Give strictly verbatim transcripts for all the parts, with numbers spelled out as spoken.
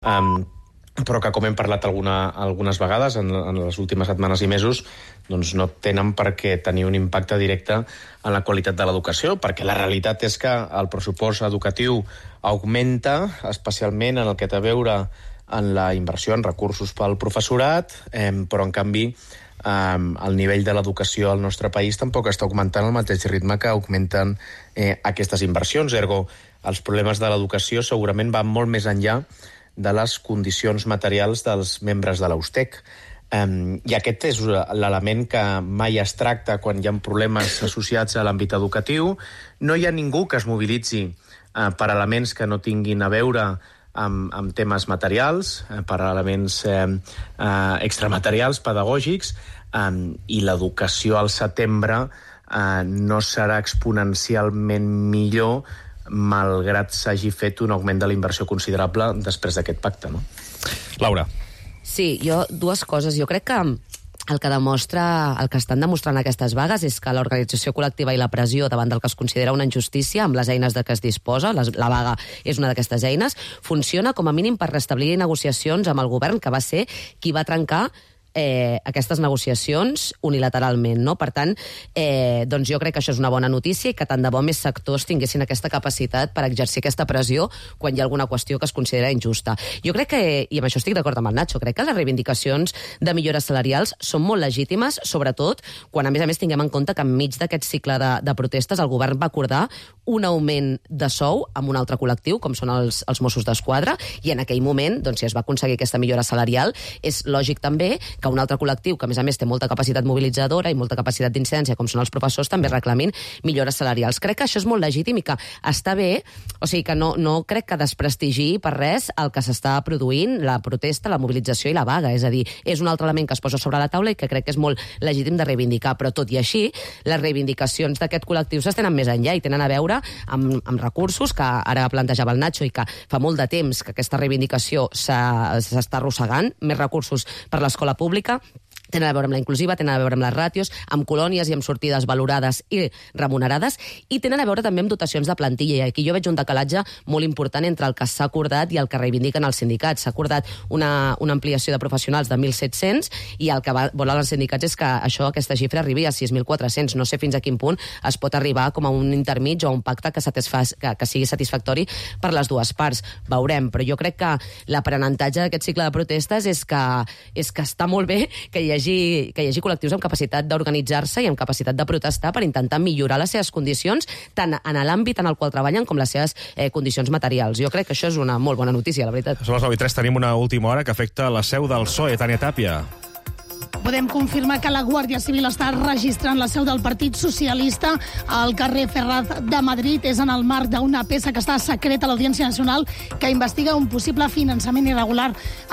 Um, però que, com hem parlat alguna, algunes vegades en, en les últimes setmanes i mesos, doncs no tenen per què tenir un impacte directe en la qualitat de l'educació, perquè la realitat és que el pressupost educatiu augmenta, especialment en el que té a veure en la inversió en recursos pel professorat, eh, però, en canvi, eh, el nivell de l'educació al nostre país tampoc està augmentant al mateix ritme que augmenten eh, aquestes inversions. Ergo, els problemes de l'educació segurament van molt més enllà de les condicions materials dels membres de l'U S T E C. Um, I aquest és l'element que mai es tracta quan hi ha problemes associats a l'àmbit educatiu. No hi ha ningú que es mobilitzi uh, per elements que no tinguin a veure amb, amb temes materials, uh, per elements uh, uh, extramaterials, pedagògics, um, i l'educació al setembre uh, no serà exponencialment millor malgrat s'hagi fet un augment de la inversió considerable després d'aquest pacte, no? Laura. Sí, jo, dues coses. Jo crec que el que demostra, el que estan demostrant aquestes vagues és que l'organització col·lectiva i la pressió davant del que es considera una injustícia amb les eines de què es disposa, les, la vaga és una d'aquestes eines, funciona com a mínim per restablir negociacions amb el govern, que va ser qui va trencar Eh, aquestes negociacions unilateralment, no? Per tant, eh, doncs jo crec que això és una bona notícia i que tant de bo més sectors tinguessin aquesta capacitat per exercir aquesta pressió quan hi ha alguna qüestió que es considera injusta. Jo crec que, i amb això estic d'acord amb el Nacho, crec que les reivindicacions de millores salarials són molt legítimes, sobretot quan, a més a més, tinguem en compte que enmig d'aquest cicle de, de protestes el govern va acordar un augment de sou amb un altre col·lectiu, com són els, els Mossos d'Esquadra, i en aquell moment, doncs, si es va aconseguir aquesta millora salarial, és lògic també que un altre col·lectiu, que a més a més té molta capacitat mobilitzadora i molta capacitat d'incidència, com són els professors, també reclamin millores salarials. Crec que això és molt legítim i que està bé, o sigui que no, no crec que desprestigi per res el que s'està produint, la protesta, la mobilització i la vaga. És a dir, és un altre element que es posa sobre la taula i que crec que és molt legítim de reivindicar, però tot i així, les reivindicacions d'aquest col·lectiu s'estenen més enllà i tenen a veure amb, amb recursos que ara plantejava el Nacho i que fa molt de temps que aquesta reivindicació s'està arrossegant, més recursos per l'escola pública, tenen a veure amb la inclusiva, tenen a veure amb les ràtios, amb colònies i amb sortides valorades i remunerades, i tenen a veure també amb dotacions de plantilla. I aquí jo veig un decalatge molt important entre el que s'ha acordat i el que reivindiquen els sindicats. S'ha acordat una, una ampliació de professionals de mil set-cents i el que va, volen els sindicats és que això, aquesta xifra arribi a sis mil quatre-cents. No sé fins a quin punt es pot arribar com a un intermig o a un pacte que, satisfa, que, que sigui satisfactori per les dues parts. Veurem, però jo crec que l'aprenentatge d'aquest cicle de protestes és que, és que està molt bé que hi hagi, que hi hagi col·lectius amb capacitat d'organitzar-se i amb capacitat de protestar per intentar millorar les seves condicions, tant en l'àmbit en el qual treballen com les seves eh, condicions materials. Jo crec que això és una molt bona notícia, la veritat. Som les nou i tres, tenim una última hora que afecta la seu del P S O E. Tània Tàpia. Podem confirmar que la Guàrdia Civil està registrant la seu del Partit Socialista al carrer Ferraz de Madrid. És en el marc d'una peça que està secreta a l'Audiència Nacional que investiga un possible finançament irregular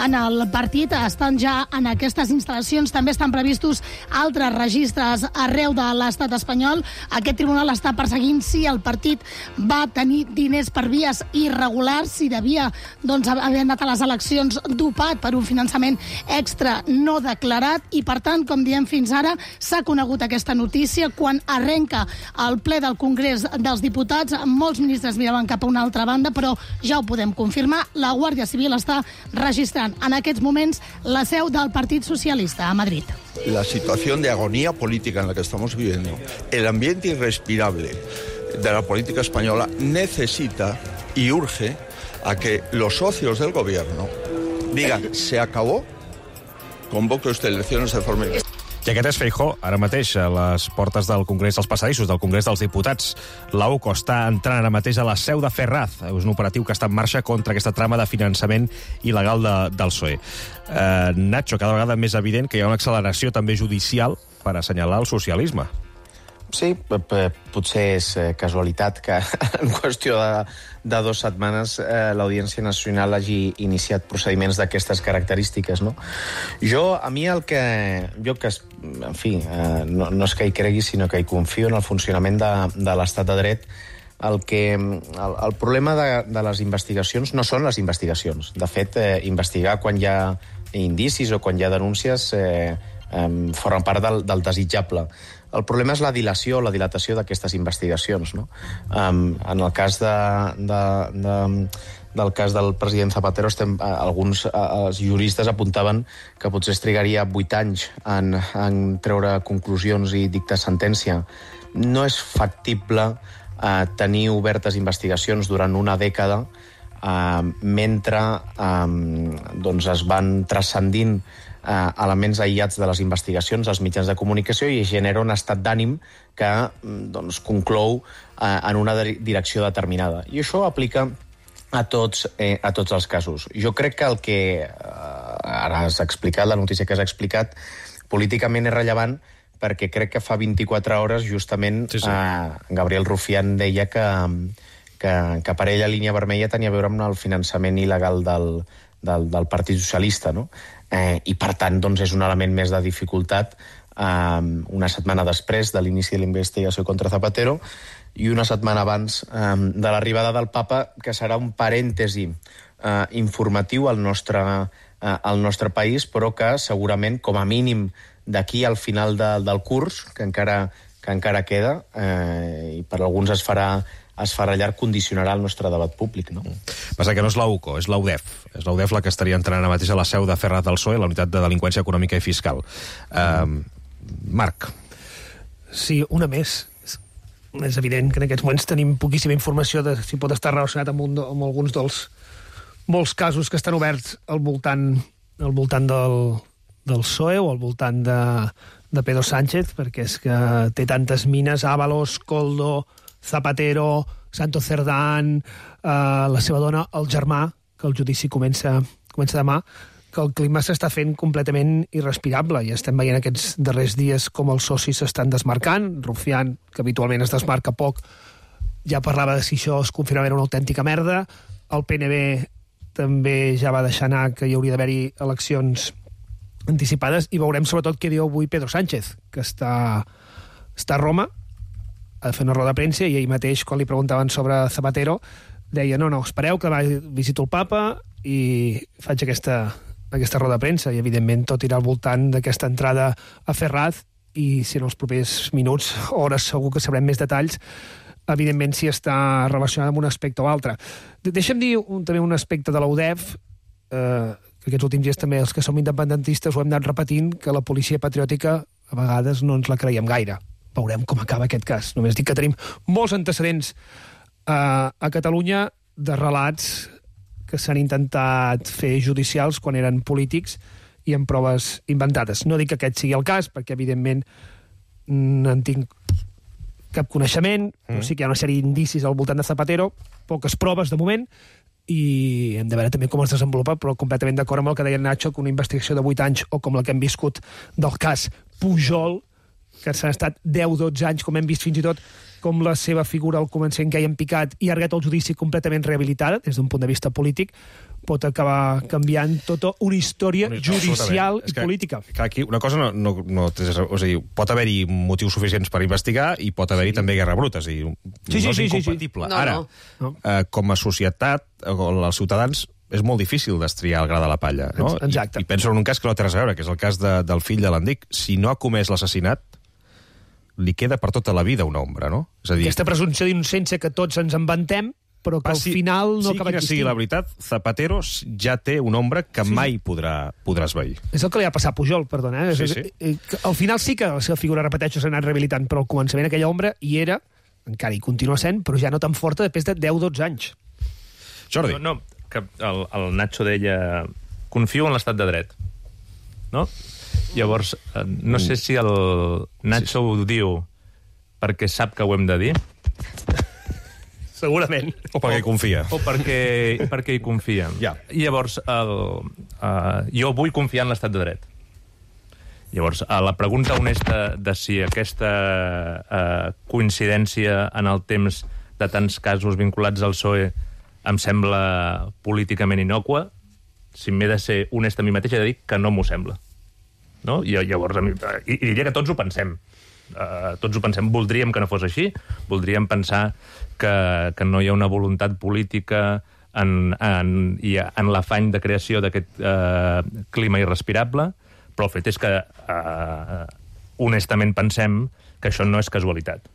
en el partit. Estan ja en aquestes instal·lacions. També estan previstos altres registres arreu de l'estat espanyol. Aquest tribunal està perseguint si el partit va tenir diners per vies irregulars, si devia doncs, haver anat a les eleccions dopat per un finançament extra no declarat. I, per tant, com diem fins ara, s'ha conegut aquesta notícia. Quan arrenca el ple del Congrés dels Diputats, molts ministres miraven cap a una altra banda, però ja ho podem confirmar, la Guàrdia Civil està registrant en aquests moments la seu del Partit Socialista a Madrid. La situación de agonía política en la que estamos viviendo, el ambiente irrespirable de la política española necesita y urge a que los socios del gobierno digan, se acabó, convoque usted elecciones de forma... I aquest és Feijóo, ara mateix, a les portes del Congrés dels Passadissos, del Congrés dels Diputats. La U C O està entrant ara mateix a la seu de Ferraz. És un operatiu que està en marxa contra aquesta trama de finançament il·legal de, del P S O E. Eh, Nacho, cada vegada més evident que hi ha una acceleració també judicial per assenyalar el socialisme. Sí, potser és casualitat que en qüestió de, de dues setmanes eh, l'Audiència Nacional hagi iniciat procediments d'aquestes característiques, no? Jo, a mi el que... Jo que, en fi, eh, no, no és que hi cregui, sinó que hi confio en el funcionament de, de l'estat de dret. El, que, el, el problema de, de les investigacions no són les investigacions. De fet, eh, investigar quan hi ha indicis o quan hi ha denúncies eh, eh, formen part del, del desitjable. El problema és la dilació, la dilatació d'aquestes investigacions, no? Um, en el cas de, de, de, del cas del president Zapatero, estem, alguns els juristes apuntaven que potser es trigaria vuit anys en, en treure conclusions i dictar sentència. No és factible eh, tenir obertes investigacions durant una dècada eh, mentre eh, doncs es van transcendint eh, elements aïllats de les investigacions als mitjans de comunicació i genera un estat d'ànim que doncs, conclou eh, en una direcció determinada. I això aplica a tots, eh, a tots els casos. Jo crec que el que eh, ara has explicat, la notícia que has explicat, políticament és rellevant perquè crec que fa vint-i-quatre hores justament sí, sí. Eh, Gabriel Rufián deia que, que, que per ell la línia vermella tenia a veure amb el finançament il·legal del, del, del Partit Socialista, no? Eh, I per tant doncs, és un element més de dificultat eh, una setmana després de l'inici de la investigació contra Zapatero i una setmana abans eh, de l'arribada del papa, que serà un parèntesi eh, informatiu al nostre, eh, al nostre país, però que segurament, com a mínim, d'aquí al final de, del curs, que encara, que encara queda, eh, i per alguns es farà, es farà llarg, condicionarà el nostre debat públic. No? Passa que no és la U C O, és la U D E F. És la U D E F la que estaria entrant ara mateix a la seu de Ferraz del P S O E, la unitat de delinqüència econòmica i fiscal. Uh, Marc. Sí, una més. És evident que en aquests moments tenim poquíssima informació de si pot estar relacionat amb, un, amb alguns dels molts casos que estan oberts al voltant, al voltant del, del P S O E o al voltant de, de Pedro Sánchez, perquè és que té tantes mines, Ábalos, Koldo, Zapatero, Santos Cerdán, eh, la seva dona, el germà, que el judici comença, comença demà, que el clima s'està fent completament irrespirable i estem veient aquests darrers dies com els socis s'estan desmarcant. Rufián, que habitualment es desmarca poc, ja parlava de si això es confirmava era una autèntica merda. El P N B també ja va deixar anar que hi hauria d'haver-hi eleccions anticipades i veurem sobretot què diu avui Pedro Sánchez, que està, està a Roma, ha de fer una roda de premsa i ell mateix, quan li preguntaven sobre Zapatero, deia, no, no, espereu que demà visito el papa i faig aquesta, aquesta roda de premsa i, evidentment, tot irà al voltant d'aquesta entrada a Ferraz i, si en els propers minuts, hores, segur que sabrem més detalls, evidentment, si està relacionada amb un aspecte o altre. Deixa'm dir un, també un aspecte de la U D E F, eh, que aquests últims dies també els que som independentistes ho hem anat repetint, que la policia patriòtica a vegades no ens la creiem gaire. Veurem com acaba aquest cas. Només dic que tenim molts antecedents eh, a Catalunya de relats que s'han intentat fer judicials quan eren polítics i amb proves inventades. No dic que aquest sigui el cas, perquè, evidentment, no en tinc cap coneixement, mm. però sí que hi ha una sèrie d'indicis al voltant de Zapatero, poques proves de moment, i hem de veure també com es desenvolupa, però completament d'acord amb el que deia Nacho, que una investigació de vuit anys, o com la que hem viscut del cas Pujol, que s'han estat deu dotze anys, com hem vist fins i tot, com la seva figura al començament que hi han picat i ha arribat al judici completament rehabilitada, des d'un punt de vista polític, pot acabar canviant tota una història judicial i política. Que aquí una cosa no... no, no o sigui, pot haver-hi motius suficients per investigar i pot haver-hi sí. també guerra bruta. És a dir, sí, sí, no és sí, incompatible. Sí, sí. No, Ara, no. eh, com a societat, els ciutadans, és molt difícil destriar el gra de la palla. No? Exacte. I, I penso en un cas que no té res a veure, que és el cas de, del fill de l'Endic. Si no ha comès l'assassinat, li queda per tota la vida una ombra, no? És a dir, aquesta presumpció d'innocència que tots ens inventem, però que al final no sí, acaba quina existint. sigui la veritat, Zapatero ja té una ombra que sí. mai podrà, podrà esvair. És el que li ha passat a Pujol, perdona. Eh? Sí, sí. Al final sí que la seva figura, repeteixo, s'ha anat rehabilitant, però al començament aquella ombra hi era, encara hi continua sent, però ja no tan forta després de deu dotze anys. Jordi. No, no que el, el Nacho deia confio en l'estat de dret, no? Llavors, no sé si el Nacho sí, sí. ho diu perquè sap que ho hem de dir. Segurament. O perquè hi confia. O perquè, perquè hi confia. Ja. I llavors, el, uh, jo vull confiar en l'estat de dret. Llavors, a la pregunta honesta de si aquesta uh, coincidència en el temps de tants casos vinculats al P S O E em sembla políticament innòcua, si m'he de ser honest a mi mateix, he de dir que no m'ho sembla. No? I llavors, i, i diria que tots ho pensem. Uh, tots ho pensem. Voldríem que no fos així. Voldríem pensar que, que no hi ha una voluntat política en, en, i en l'afany de creació d'aquest uh, clima irrespirable, però el fet és que uh, honestament pensem que això no és casualitat.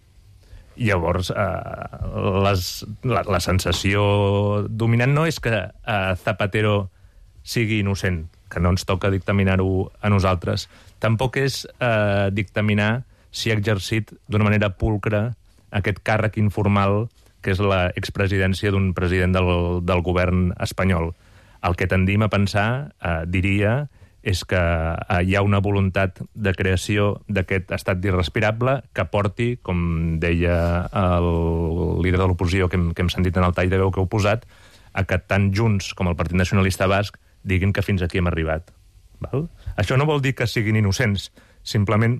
Llavors, eh, les, la, la sensació dominant no és que eh, Zapatero sigui innocent, que no ens toca dictaminar-ho a nosaltres. Tampoc és eh, dictaminar si ha exercit d'una manera pulcra aquest càrrec informal que és la expresidència d'un president del, del govern espanyol. El que tendim a pensar, eh, diria, és que eh, hi ha una voluntat de creació d'aquest estat irrespirable que porti, com deia el líder de l'oposició que hem, que hem sentit en el tall de veu que heu posat, a que tant Junts com el Partit Nacionalista Basc diguin que fins aquí hem arribat. Val? Això no vol dir que siguin innocents, simplement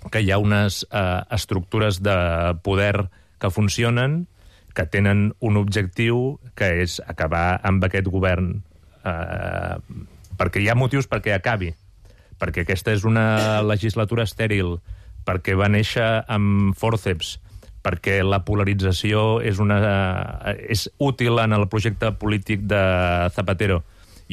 que hi ha unes eh, estructures de poder que funcionen, que tenen un objectiu, que és acabar amb aquest govern, eh, perquè hi ha motius perquè acabi, perquè aquesta és una legislatura estèril, perquè va néixer amb fòrceps, perquè la polarització és, una, és útil en el projecte polític de Zapatero.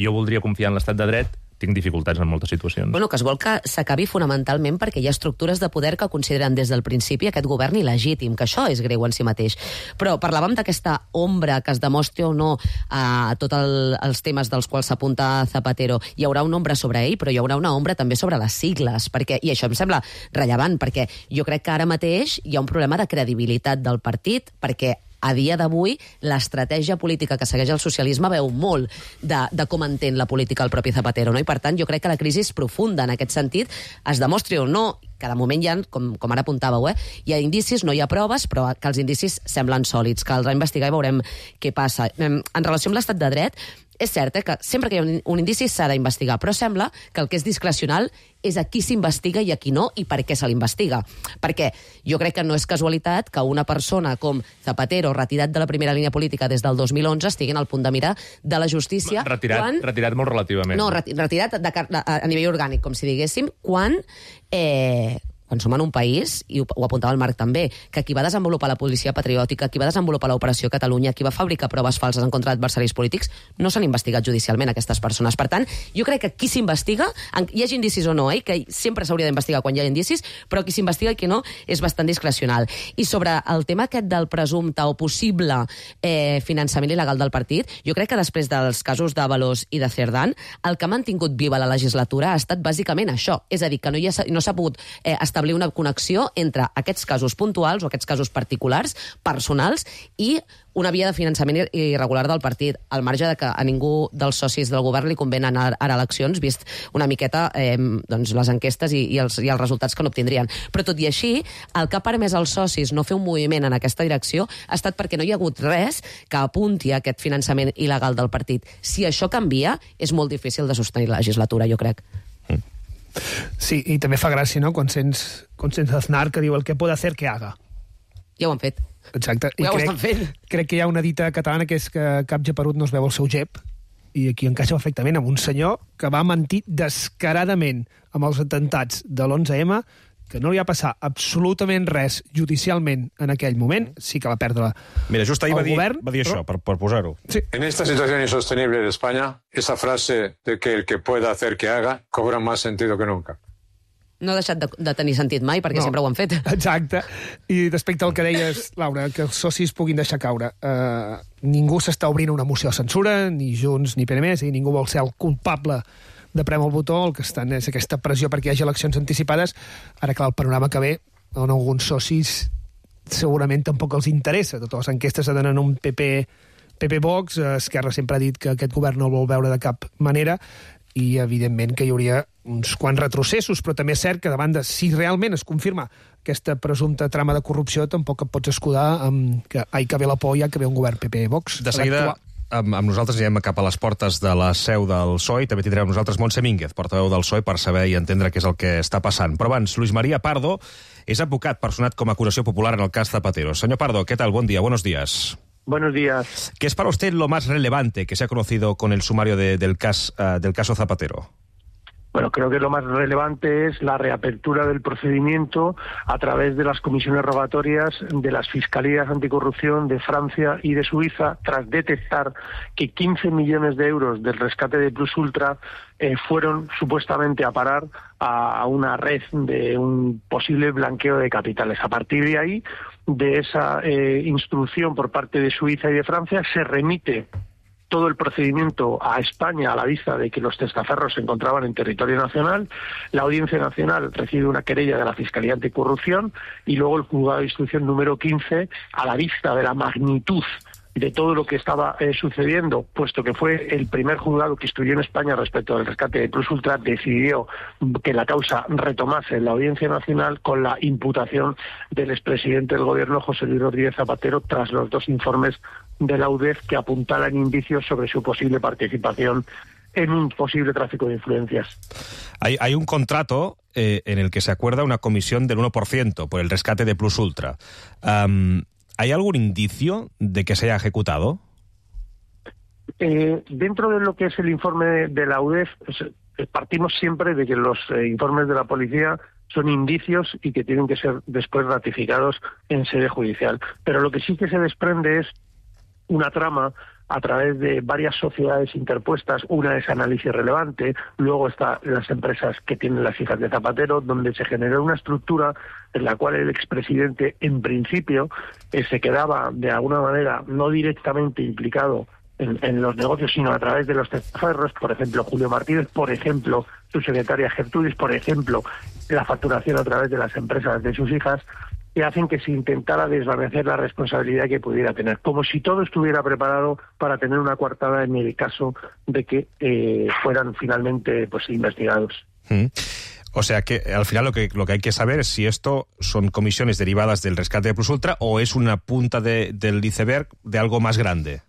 Jo voldria confiar en l'estat de dret, tinc dificultats en moltes situacions. Bueno, que es vol que s'acabi fonamentalment perquè hi ha estructures de poder que consideren des del principi aquest govern il·legítim, que això és greu en si mateix. Però parlàvem d'aquesta ombra que es demostri o no a tots el, els temes dels quals s'apunta Zapatero. Hi haurà una ombra sobre ell, però hi haurà una ombra també sobre les sigles, perquè, i això em sembla rellevant, perquè jo crec que ara mateix hi ha un problema de credibilitat del partit, perquè a dia d'avui, l'estratègia política que segueix el socialisme veu molt de, de com entén la política el propi Zapatero, no? I per tant, jo crec que la crisi és profunda en aquest sentit, es demostri o no, que de moment hi ha, com, com ara apuntàveu, eh, hi ha indicis, no hi ha proves, però que els indicis semblen sòlids, caldrà investigar i veurem què passa. En relació amb l'estat de dret, és cert eh, que sempre que hi ha un, un indici s'ha d'investigar, però sembla que el que és discrecional és a qui s'investiga i a qui no, i per què se l'investiga. Perquè jo crec que no és casualitat que una persona com Zapatero, retirat de la primera línia política des del dos mil onze, estigui en el punt de mira de la justícia... Retirat, quan... retirat molt relativament. No, retirat de, de, a nivell orgànic, com si diguéssim, quan... Eh, quan som en un país, i ho, ho apuntava el Marc també, que qui va desenvolupar la policia patriòtica, qui va desenvolupar l'operació Catalunya, qui va fabricar proves falses en contra d'adversaris polítics, no s'han investigat judicialment aquestes persones. Per tant, jo crec que qui s'investiga, hi hagi indicis o no, eh, que sempre s'hauria d'investigar quan hi ha indicis, però qui s'investiga i qui no és bastant discrecional. I sobre el tema aquest del presumpte o possible eh, finançament il·legal del partit, jo crec que després dels casos d'Ábalos i de Cerdán, el que ha mantingut viva la legislatura ha estat bàsicament això, és a dir, que no, hi ha, no s'ha pogut eh, establir establir una connexió entre aquests casos puntuals o aquests casos particulars, personals, i una via de finançament irregular del partit, al marge de que a ningú dels socis del govern li conven anar ara a eleccions, vist una miqueta eh, doncs les enquestes i, i, els, i els resultats que no obtindrien. Però tot i així, el que ha permès als socis no fer un moviment en aquesta direcció ha estat perquè no hi ha hagut res que apunti a aquest finançament il·legal del partit. Si això canvia, és molt difícil de sostenir la legislatura, jo crec. Mm. Sí, i també fa gràcia, no?, quan sents, quan sents Aznar que diu el que pot hacer que haga. Ja ho han fet. Exacte. I ja crec, ho estan fent. Crec que hi ha una dita catalana que és que cap geperut no es veu el seu gep, i aquí encaixa perfectament amb un senyor que va mentir descaradament amb els atemptats de l'onze eme, que no li va passar absolutament res judicialment en aquell moment, sí que va perdre Mira, just ahir va dir, govern, va dir això, però... per, per posar-ho. Sí. En esta situación insostenible de España, esa frase de que el que pueda hacer que haga cobra más sentido que nunca. No ha deixat de, de tenir sentit mai, perquè no. sempre ho han fet. Exacte. I respecte al que deies, Laura, que els socis puguin deixar caure, eh, ningú s'està obrint una moció de censura, ni Junts ni P N més, i ningú vol ser el culpable de prem el botó, el que estan és aquesta pressió perquè hi hagi eleccions anticipades. Ara, clar, el panorama que ve, on alguns socis segurament tampoc els interessa. Totes les enquestes se donen un P P, P P Vox, Esquerra sempre ha dit que aquest govern no el vol veure de cap manera, i evidentment que hi hauria uns quants retrocessos, però també és cert que davant de si realment es confirma aquesta presumpta trama de corrupció, tampoc et pots escudar amb que ai que ve la por, ja que ve un govern P P Vox. De seguida, amb, amb nosaltres anirem cap a les portes de la seu del P S O E, i també tindrem nosaltres Montse Mínguez, portaveu del P S O E, per saber i entendre què és el que està passant. Però abans, Luis María Pardo és advocat personat com a acusació popular en el cas Zapatero. Señor Pardo, ¿qué tal? Buen día, buenos días. Buenos días. ¿Qué es para usted lo más relevante que se ha conocido con el sumario de, del, cas, uh, del caso Zapatero? Bueno, creo que lo más relevante es la reapertura del procedimiento a través de las comisiones rogatorias de las fiscalías anticorrupción de Francia y de Suiza, tras detectar que quince millones de euros del rescate de Plus Ultra eh, fueron supuestamente a parar a una red de un posible blanqueo de capitales. A partir de ahí, de esa eh, instrucción por parte de Suiza y de Francia, se remite todo el procedimiento a España a la vista de que los testaferros se encontraban en territorio nacional. La Audiencia Nacional recibe una querella de la Fiscalía Anticorrupción y luego el Juzgado de Instrucción número quince, a la vista de la magnitud de todo lo que estaba eh, sucediendo, puesto que fue el primer juzgado que instruyó en España respecto al rescate de Plus Ultra, decidió que la causa retomase en la Audiencia Nacional con la imputación del expresidente del Gobierno, José Luis Rodríguez Zapatero, tras los dos informes de la U D E F que apuntaran indicios sobre su posible participación en un posible tráfico de influencias. Hay, hay un contrato eh, en el que se acuerda una comisión del uno por ciento por el rescate de Plus Ultra. Um, ¿Hay algún indicio de que se haya ejecutado? Eh, dentro de lo que es el informe de, de la U D E F, pues, partimos siempre de que los eh, informes de la policía son indicios y que tienen que ser después ratificados en sede judicial. Pero lo que sí que se desprende es una trama a través de varias sociedades interpuestas. Una es Análisis Relevante, luego están las empresas que tienen las hijas de Zapatero, donde se generó una estructura en la cual el expresidente, en principio, eh, se quedaba de alguna manera no directamente implicado en, en los negocios, sino a través de los testaferros, por ejemplo, Julio Martínez, por ejemplo, su secretaria Gertrudis, por ejemplo, la facturación a través de las empresas de sus hijas, que hacen que se intentara desvanecer la responsabilidad que pudiera tener, como si todo estuviera preparado para tener una coartada en el caso de que eh, fueran finalmente pues investigados. Mm. O sea que al final lo que lo que hay que saber es si esto son comisiones derivadas del rescate de Plus Ultra o es una punta de, del iceberg de algo más grande.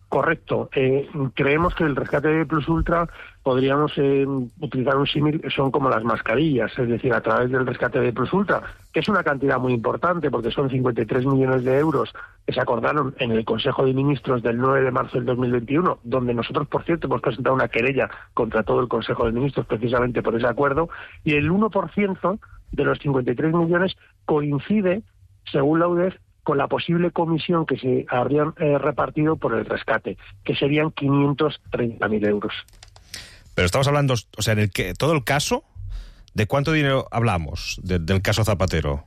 Correcto. Eh, creemos que el rescate de Plus Ultra podríamos eh, utilizar un símil, son como las mascarillas, es decir, a través del rescate de Plus Ultra, que es una cantidad muy importante porque son cincuenta y tres millones de euros que se acordaron en el Consejo de Ministros del nueve de marzo del dos mil veintiuno, donde nosotros, por cierto, hemos presentado una querella contra todo el Consejo de Ministros precisamente por ese acuerdo, y el uno por ciento de los cincuenta y tres millones coincide, según la U D E F, con la posible comisión que se habrían eh, repartido por el rescate, que serían quinientos treinta mil euros. Pero estamos hablando, o sea, en el que, todo el caso, ¿de cuánto dinero hablamos de, del caso Zapatero?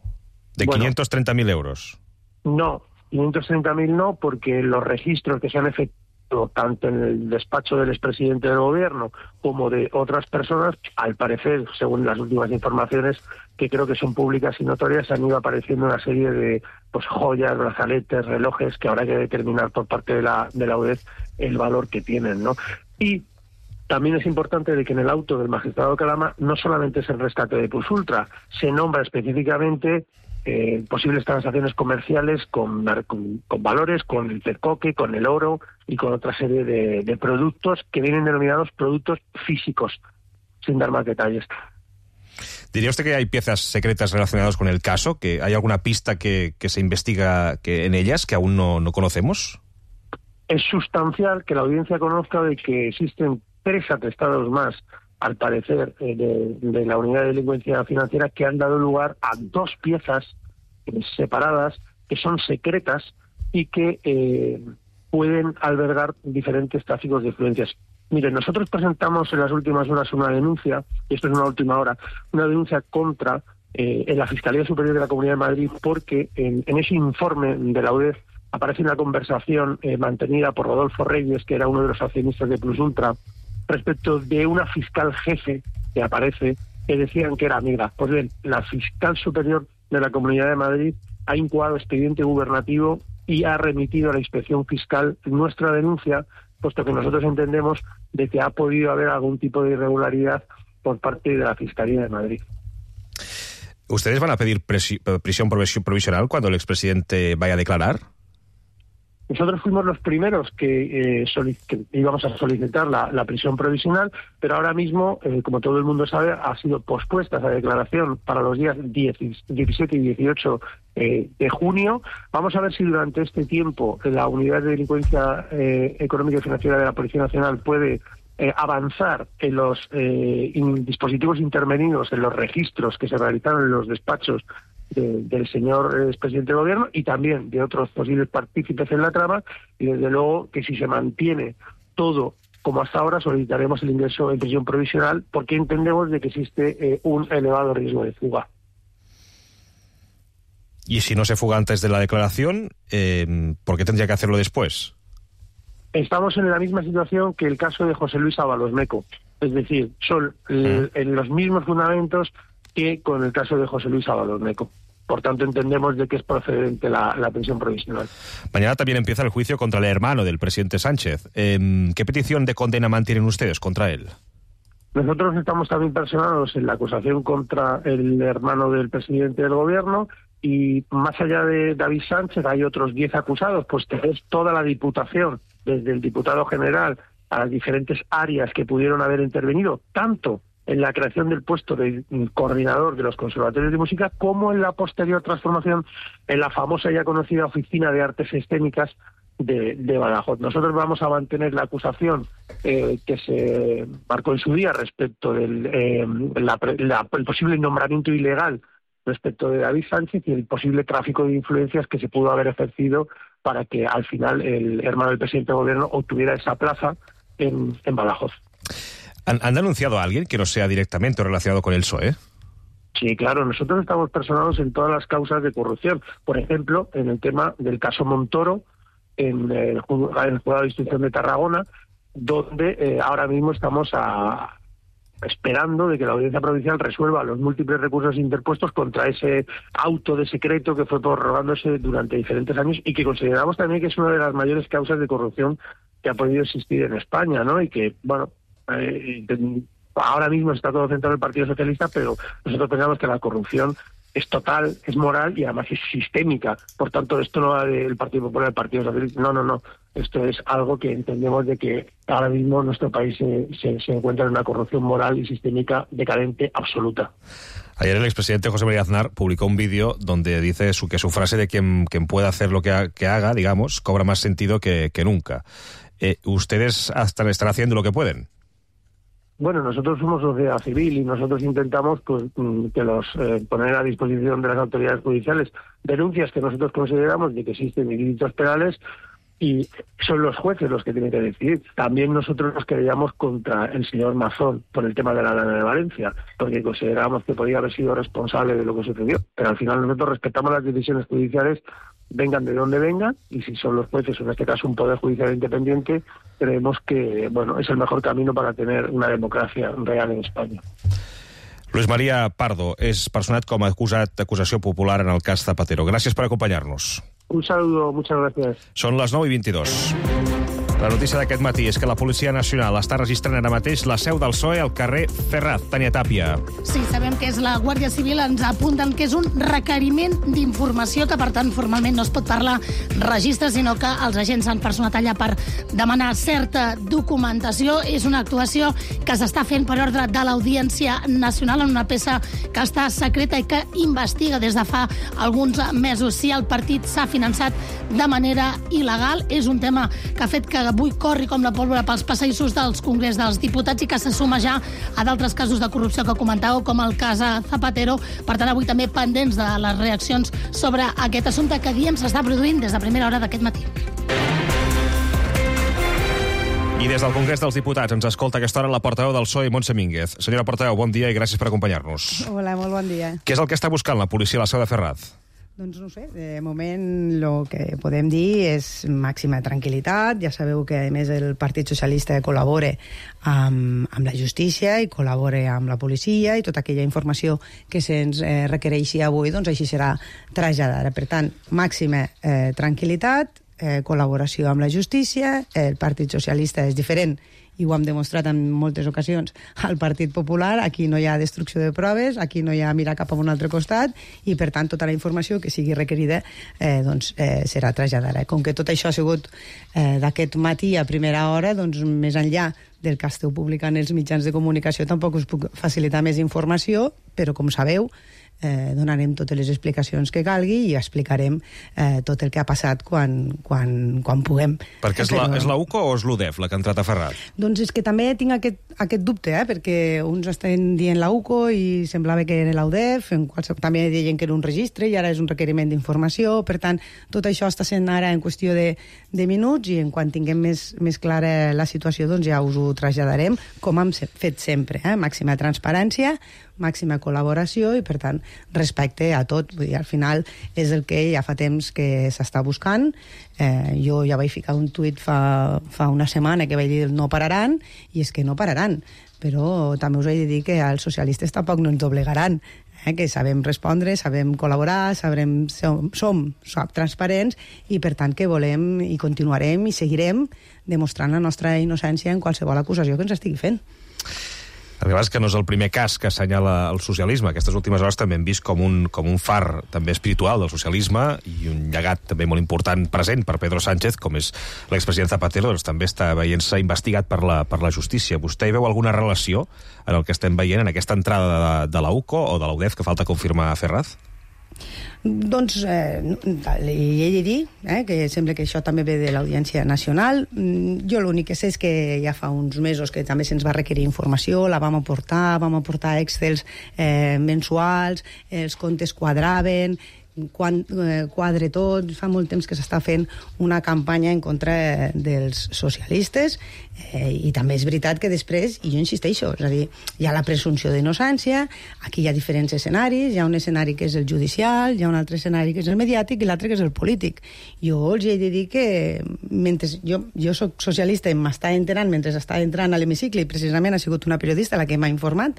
¿De bueno, quinientos treinta mil euros? No, quinientos treinta mil no, porque los registros que se han efectuado tanto en el despacho del expresidente del Gobierno como de otras personas, al parecer, según las últimas informaciones, que creo que son públicas y notorias, han ido apareciendo una serie de pues joyas, brazaletes, relojes, que habrá que determinar por parte de la, de la U D E F el valor que tienen, ¿no? Y también es importante de que en el auto del magistrado Calama no solamente es el rescate de Plus Ultra, se nombra específicamente eh, posibles transacciones comerciales con, con, con valores, con el tercoque, con el oro y con otra serie de, de productos que vienen denominados productos físicos, sin dar más detalles. ¿Diría usted que hay piezas secretas relacionadas con el caso? ¿Que hay alguna pista que, que se investiga que en ellas que aún no, no conocemos? Es sustancial que la audiencia conozca de que existen tres atestados más, al parecer, eh, de, de la Unidad de Delincuencia Financiera, que han dado lugar a dos piezas eh, separadas, que son secretas y que eh, pueden albergar diferentes tráficos de influencias. Miren, nosotros presentamos en las últimas horas una denuncia, y esto es una última hora, una denuncia contra eh, en la Fiscalía Superior de la Comunidad de Madrid, porque en, en ese informe de la U D E F aparece una conversación eh, mantenida por Rodolfo Reyes, que era uno de los accionistas de Plus Ultra, respecto de una fiscal jefe que aparece, que decían que era amiga. Pues bien, la fiscal superior de la Comunidad de Madrid ha incoado expediente gubernativo y ha remitido a la inspección fiscal nuestra denuncia, puesto que nosotros entendemos de que ha podido haber algún tipo de irregularidad por parte de la Fiscalía de Madrid. ¿Ustedes van a pedir prisión provisional cuando el expresidente vaya a declarar? Nosotros fuimos los primeros que, eh, que íbamos a solicitar la, la prisión provisional, pero ahora mismo, eh, como todo el mundo sabe, ha sido pospuesta esa declaración para los días diecisiete y dieciocho eh, de junio. Vamos a ver si durante este tiempo la Unidad de Delincuencia eh, Económica y Financiera de la Policía Nacional puede eh, avanzar en los eh, in, dispositivos intervenidos, en los registros que se realizaron en los despachos de, del señor eh, expresidente del gobierno y también de otros posibles partícipes en la trama, y desde luego que si se mantiene todo como hasta ahora, solicitaremos el ingreso en prisión provisional porque entendemos de que existe eh, un elevado riesgo de fuga. Y si no se fuga antes de la declaración, eh, ¿por qué tendría que hacerlo después? Estamos en la misma situación que el caso de José Luis Ábalos Meco. Es decir, son el, en los mismos fundamentos que con el caso de José Luis Ábalos Meco. Por tanto, entendemos de que es procedente la, la prisión provisional. Mañana también empieza el juicio contra el hermano del presidente Sánchez. Eh, ¿Qué petición de condena mantienen ustedes contra él? Nosotros estamos también personados en la acusación contra el hermano del presidente del gobierno y más allá de David Sánchez hay otros diez acusados, pues tenés toda la Diputación, desde el diputado general a las diferentes áreas que pudieron haber intervenido, tanto en la creación del puesto de coordinador de los conservatorios de música, como en la posterior transformación en la famosa ya conocida Oficina de Artes Escénicas de, de Badajoz. Nosotros vamos a mantener la acusación eh, que se marcó en su día respecto del eh, la, la, el posible nombramiento ilegal respecto de David Sánchez y el posible tráfico de influencias que se pudo haber ejercido para que al final el hermano del presidente del gobierno obtuviera esa plaza en, en Badajoz. ¿Han, ¿Han denunciado a alguien que no sea directamente relacionado con el P S O E? Sí, claro, nosotros estamos personados en todas las causas de corrupción. Por ejemplo, en el tema del caso Montoro, en el juzgado de instrucción de Tarragona, donde eh, ahora mismo estamos a, esperando de que la Audiencia Provincial resuelva los múltiples recursos interpuestos contra ese auto de secreto que fue prorrogándose durante diferentes años y que consideramos también que es una de las mayores causas de corrupción que ha podido existir en España, ¿no? Y que, bueno, eh, ahora mismo está todo centrado en el Partido Socialista, pero nosotros pensamos que la corrupción es total, es moral y además es sistémica. Por tanto, esto no va del Partido Popular, del Partido Socialista. No, no, no. Esto es algo que entendemos de que ahora mismo nuestro país se, se, se encuentra en una corrupción moral y sistémica decadente absoluta. Ayer el expresidente José María Aznar publicó un vídeo donde dice su, que su frase de quien, quien pueda hacer lo que, ha, que haga, digamos, cobra más sentido que, que nunca. Eh, ¿Ustedes hasta están haciendo lo que pueden? Bueno, nosotros somos sociedad civil y nosotros intentamos pues, que los eh, poner a disposición de las autoridades judiciales denuncias que nosotros consideramos de que existen ilícitos penales y son los jueces los que tienen que decidir. También nosotros nos querellamos contra el señor Mazón por el tema de la lana de Valencia, porque consideramos que podía haber sido responsable de lo que sucedió. Pero al final nosotros respetamos las decisiones judiciales, vengan de donde vengan, y si son los jueces, o en este caso un poder judicial independiente, creemos que bueno es el mejor camino para tener una democracia real en España. Luis María Pardo és personat com a acusat d'acusació popular en el cas Zapatero. Gràcies per acompanyar-nos. Un saludo, muchas gracias. Són les nou i vint-i-dos. La notícia d'aquest matí és que la Policia Nacional està registrant ara mateix la seu del P S O E al carrer Ferraz. Tania Tàpia. Sí, sabem que és la Guàrdia Civil, ens apunten que és un requeriment d'informació, que per tant formalment no es pot parlar registre, sinó que els agents s'han personat allà per demanar certa documentació. És una actuació que s'està fent per ordre de l'Audiència Nacional en una peça que està secreta i que investiga des de fa alguns mesos si el partit s'ha finançat de manera il·legal. És un tema que ha fet que avui corri com la pólvora pels passadissos dels Congrés dels Diputats i que se suma ja a d'altres casos de corrupció que comentàveu, com el cas Zapatero. Per tant, avui també pendents de les reaccions sobre aquest assumpte que, diem, s'està produint des de primera hora d'aquest matí. I des del Congrés dels Diputats ens escolta a aquesta hora la portaveu del P S O E, Montse Mínguez. Senyora portaveu, bon dia i gràcies per acompanyar-nos. Hola, molt bon dia. Què és el que està buscant la policia a la seu de Ferraz? Doncs no sé, de moment el que podem dir és màxima tranquil·litat. Ja sabeu que, a més, el Partit Socialista col·labora amb, amb la justícia i col·labora amb la policia i tota aquella informació que se'ns eh, requereixi avui, doncs així serà traslladada. Per tant, màxima eh, tranquil·litat, eh, col·laboració amb la justícia. El Partit Socialista és diferent i ho hem demostrat en moltes ocasions al Partit Popular. Aquí no hi ha destrucció de proves, aquí no hi ha mirar cap a un altre costat i, per tant, tota la informació que sigui requerida eh, doncs, eh, serà traslladada. Com que tot això ha sigut eh, d'aquest matí a primera hora, doncs més enllà del que esteu publicant els mitjans de comunicació tampoc us puc facilitar més informació, però com sabeu eh, donarem totes les explicacions que calgui i explicarem eh, tot el que ha passat quan, quan, quan puguem. Perquè és, Però... la, és la U C O o és l'U D E F la que ha entrat a Ferraz? Doncs és que també tinc aquest, aquest dubte, eh, perquè uns estan dient la U C O i semblava que era la U D E F, en qualsevol, també deien que era un registre i ara és un requeriment d'informació, per tant, tot això està sent ara en qüestió de, de minuts i en quan tinguem més, més clara la situació, doncs ja us ho traslladarem, com hem fet sempre, eh? Màxima transparència, màxima col·laboració i, per tant, respecte a tot. Vull dir, al final és el que ja fa temps que s'està buscant. Eh, jo ja vaig ficar un tuit fa, fa una setmana que vaig dir no pararan, i és que no pararan. Però també us he de dir que els socialistes tampoc no ens doblegaran, eh? Que sabem respondre, sabem col·laborar, sabrem, som, som, som transparents i, per tant, que volem i continuarem i seguirem demostrant la nostra innocència en qualsevol acusació que ens estigui fent. La veritat és que no és el primer cas que assenyala el socialisme. Aquestes últimes hores també hem vist com un, com un far també espiritual del socialisme i un llegat també molt important present per Pedro Sánchez, com és l'expresident Zapatero, doncs també està veient-se investigat per la, per la justícia. Vostè hi veu alguna relació en el que estem veient en aquesta entrada de, de la U C O o de la U D E F que falta confirmar a Ferraz? Doncs eh, li he de dir eh, que sembla que això també ve de l'Audiència Nacional. Jo l'únic que sé és que ja fa uns mesos que també se'ns va requerir informació, la vam aportar, vam aportar excels eh, mensuals, els comptes quadraven, quan eh, quadre tot, fa molt temps que s'està fent una campanya en contra dels socialistes eh, i també és veritat que després, i jo insisteixo, és a dir, hi ha la presumpció d'innocència, aquí hi ha diferents escenaris, hi ha un escenari que és el judicial, hi ha un altre escenari que és el mediàtic i l'altre que és el polític. Jo els he de dir que mentre jo, jo soc socialista i m'està enterant mentre està entrant a l'hemicicle i precisament ha sigut una periodista la que m'ha informat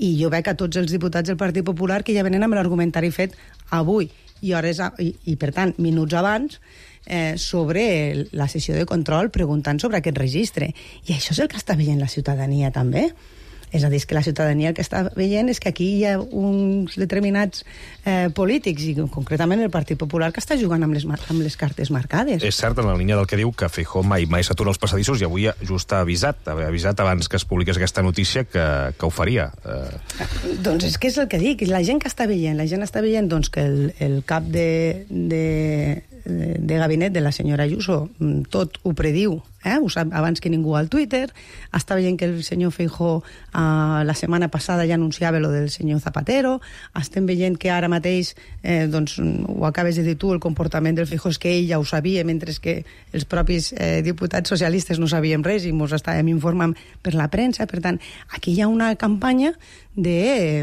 i jo veig a tots els diputats del Partit Popular que ja venen amb l'argumentari fet avui i hores a, i, i per tant minuts abans eh, sobre la sessió de control preguntant sobre aquest registre i això és el que està veient la ciutadania també. És a dir, que la ciutadania el que està veient és que aquí hi ha uns determinats eh, polítics, i concretament el Partit Popular, que està jugant amb les, amb les cartes marcades. És cert, en la línia del que diu, que Feijóo mai, mai s'atura als passadissos i avui just ha avisat, ha avisat abans que es publiqués aquesta notícia que, que ho faria. Eh... Doncs és que és el que dic, la gent que està veient, la gent està veient doncs, que el, el cap de, de, de gabinet de la senyora Ayuso tot ho prediu, eh? Ho sap abans que ningú al Twitter, està veient que el senyor Feijóo eh, la setmana passada ja anunciava lo del senyor Zapatero, estem veient que ara mateix, eh, doncs ho acabes de dir tu, el comportament del Feijóo és que ell ja ho sabia, mentre que els propis eh, diputats socialistes no sabíem res i ens estàvem informant per la premsa. Per tant, aquí hi ha una campanya de,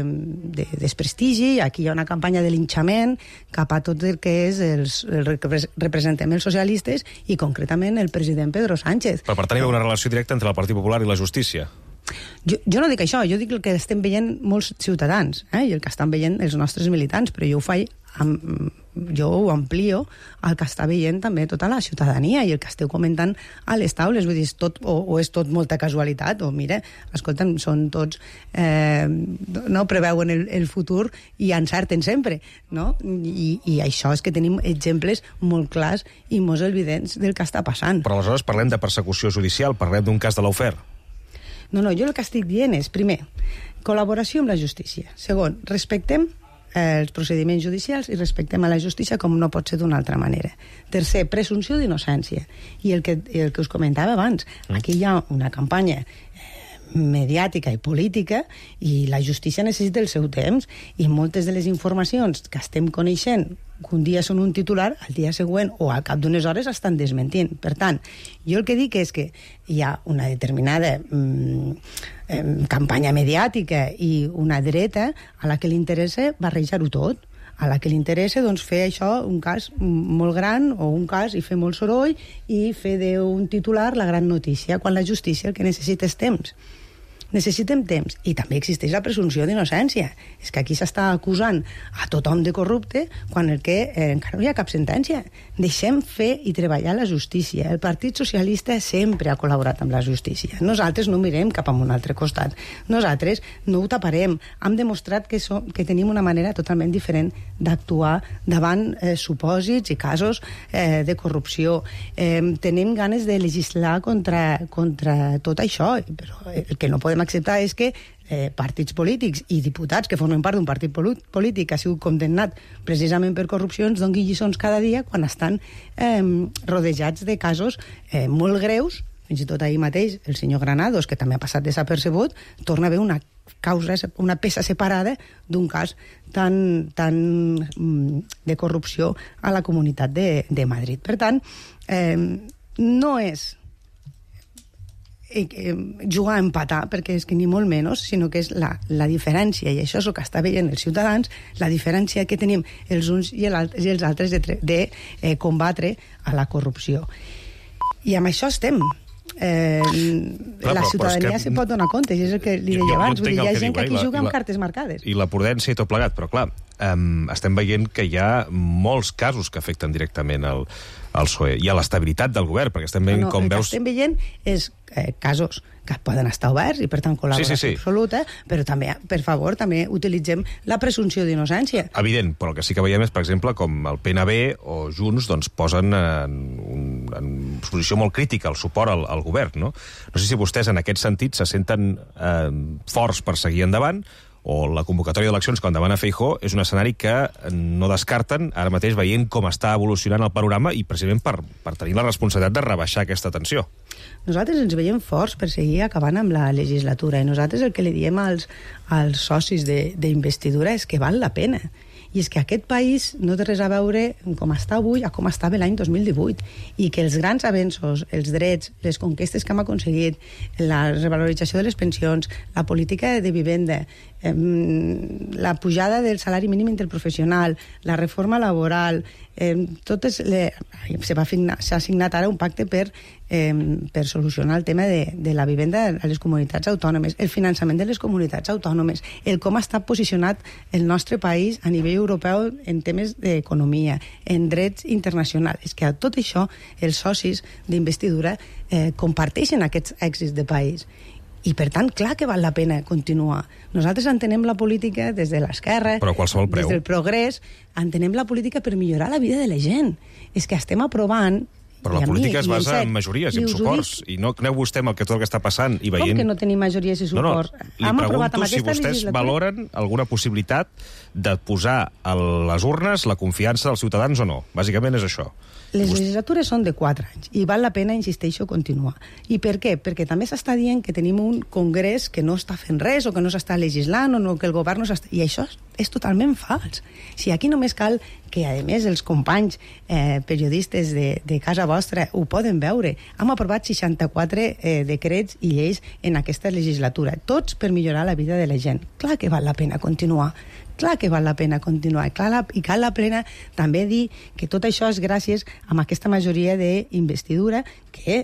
de desprestigi, aquí hi ha una campanya de linxament cap a tot el que és els, el que representem els socialistes i concretament el president Pedro Sánchez. Però per tant hi ha una relació directa entre el Partit Popular i la justícia? Jo, jo no dic això, jo dic el que estem veient molts ciutadans, eh, i el que estan veient els nostres militants, però jo ho faig, amb, jo ho amplio al que està veient també tota la ciutadania i el que esteu comentant a les taules, vull dir, és tot, o, o és tot molta casualitat, o mira, escolta'm, són tots, eh, no preveuen el, el futur i encerten sempre, no? I, I això és que tenim exemples molt clars i molt evidents del que està passant. Però aleshores parlem de persecució judicial, parlem d'un cas de l'Aufer. No, no, jo el que estic dient és, primer, col·laboració amb la justícia. Segon, respectem eh, els procediments judicials i respectem a la justícia com no pot ser d'una altra manera. Tercer, presumpció d'innocència. I el que, el que us comentava abans, aquí hi ha una campanya mediàtica i política i la justícia necessita el seu temps i moltes de les informacions que estem coneixent que un dia són un titular, al dia següent o al cap d'unes hores estan desmentint. Per tant, jo el que dic és que hi ha una determinada mm, eh, campanya mediàtica i una dreta a la que li interessa barrejar-ho tot, a la que li interessa doncs, fer això un cas molt gran o un cas i fer molt soroll i fer d'un titular la gran notícia, quan la justícia el que necessita és temps. Necessitem temps. I també existeix la presumpció d'innocència. És que aquí s'està acusant a tothom de corrupte quan el que eh, encara no hi ha cap sentència. Deixem fer i treballar la justícia. El Partit Socialista sempre ha col·laborat amb la justícia. Nosaltres no mirem cap a un altre costat. Nosaltres no ho taparem. Hem demostrat que, som, que tenim una manera totalment diferent d'actuar davant eh, supòsits i casos eh, de corrupció. Eh, tenim ganes de legislar contra, contra tot això, però el que no podem acceptar és que eh, partits polítics i diputats que formen part d'un partit polític que ha sigut condemnat precisament per corrupcions donguin lliçons cada dia quan estan eh, rodejats de casos eh, molt greus. Fins i tot ahir mateix el senyor Granados, que també ha passat desapercebut, torna a haver una causa, una peça separada d'un cas tan, tan de corrupció a la Comunitat de, de Madrid. Per tant, eh, no és jugar a empatar, perquè és que ni molt menys, sinó que és la, la diferència, i això és el que està veient els ciutadans, la diferència que tenim els uns i els, i els altres de, de eh, combatre a la corrupció. I amb això estem. Eh, Clar, la ciutadania se pot donar compte, i és el que li deia abans. Vull dir, hi ha gent que aquí juga amb cartes marcades. I la prudència i tot plegat, però clar, um, estem veient que hi ha molts casos que afecten directament el, el P S O E i a l'estabilitat del govern, perquè estem veient no, no, com el veus... El que estem veient és eh, casos que poden estar oberts i, per tant, col·laboració sí, sí, sí. absoluta, però també, per favor, també utilitzem la presumpció d'innocència. Evident, però el que sí que veiem és, per exemple, com el P N B o Junts doncs, posen en, un, en posició molt crítica el suport al, al govern, no? No sé si vostès, en aquest sentit, se senten eh, forts per seguir endavant, o la convocatòria d'eleccions quan demana Feijóo és un escenari que no descarten, ara mateix veient com està evolucionant el panorama i precisament per, per tenir la responsabilitat de rebaixar aquesta tensió. Nosaltres ens veiem forts per seguir acabant amb la legislatura i nosaltres el que li diem als, als socis d'investidura és que val la pena. I és que aquest país no té res a veure com està avui a com estava l'any dos mil divuit i que els grans avenços, els drets, les conquestes que hem aconseguit, la revalorització de les pensions, la política de vivenda, eh, la pujada del salari mínim interprofessional, la reforma laboral, eh, totes les, s'ha signat ara un pacte per, eh, per solucionar el tema de, de la vivenda a les comunitats autònomes, el finançament de les comunitats autònomes, el com està posicionat el nostre país a nivell europeu en temes d'economia, en drets internacionals. És que a tot això els socis d'investidura eh, comparteixen aquests èxits de país. I, per tant, clar que val la pena continuar. Nosaltres entenem la política des de l'esquerra, des del progrés, entenem la política per millorar la vida de la gent. És que estem aprovant... Però la política es basa en majories i en suports. I no aneu vostè amb el que tot el que està passant i veient... Com que no tenim majories i suports? No, no. Li Hem pregunto si vostès valoren alguna possibilitat de posar a les urnes la confiança dels ciutadans o no. Bàsicament és això. Les legislatures són de quatre anys i val la pena, insisteixo, continuar. I per què? Perquè també s'està dient que tenim un congrés que no està fent res o que no s'està legislant o no, que el govern no s'està... I això és totalment fals. Si aquí només cal que, a més, els companys eh, periodistes de, de casa vostra ho poden veure. Hem aprovat seixanta-quatre eh, decrets i lleis en aquesta legislatura, tots per millorar la vida de la gent. Clar que val la pena continuar. Clar que val la pena continuar. Clar la, I cal la pena també dir que tot això és gràcies a aquesta majoria d'investidura que,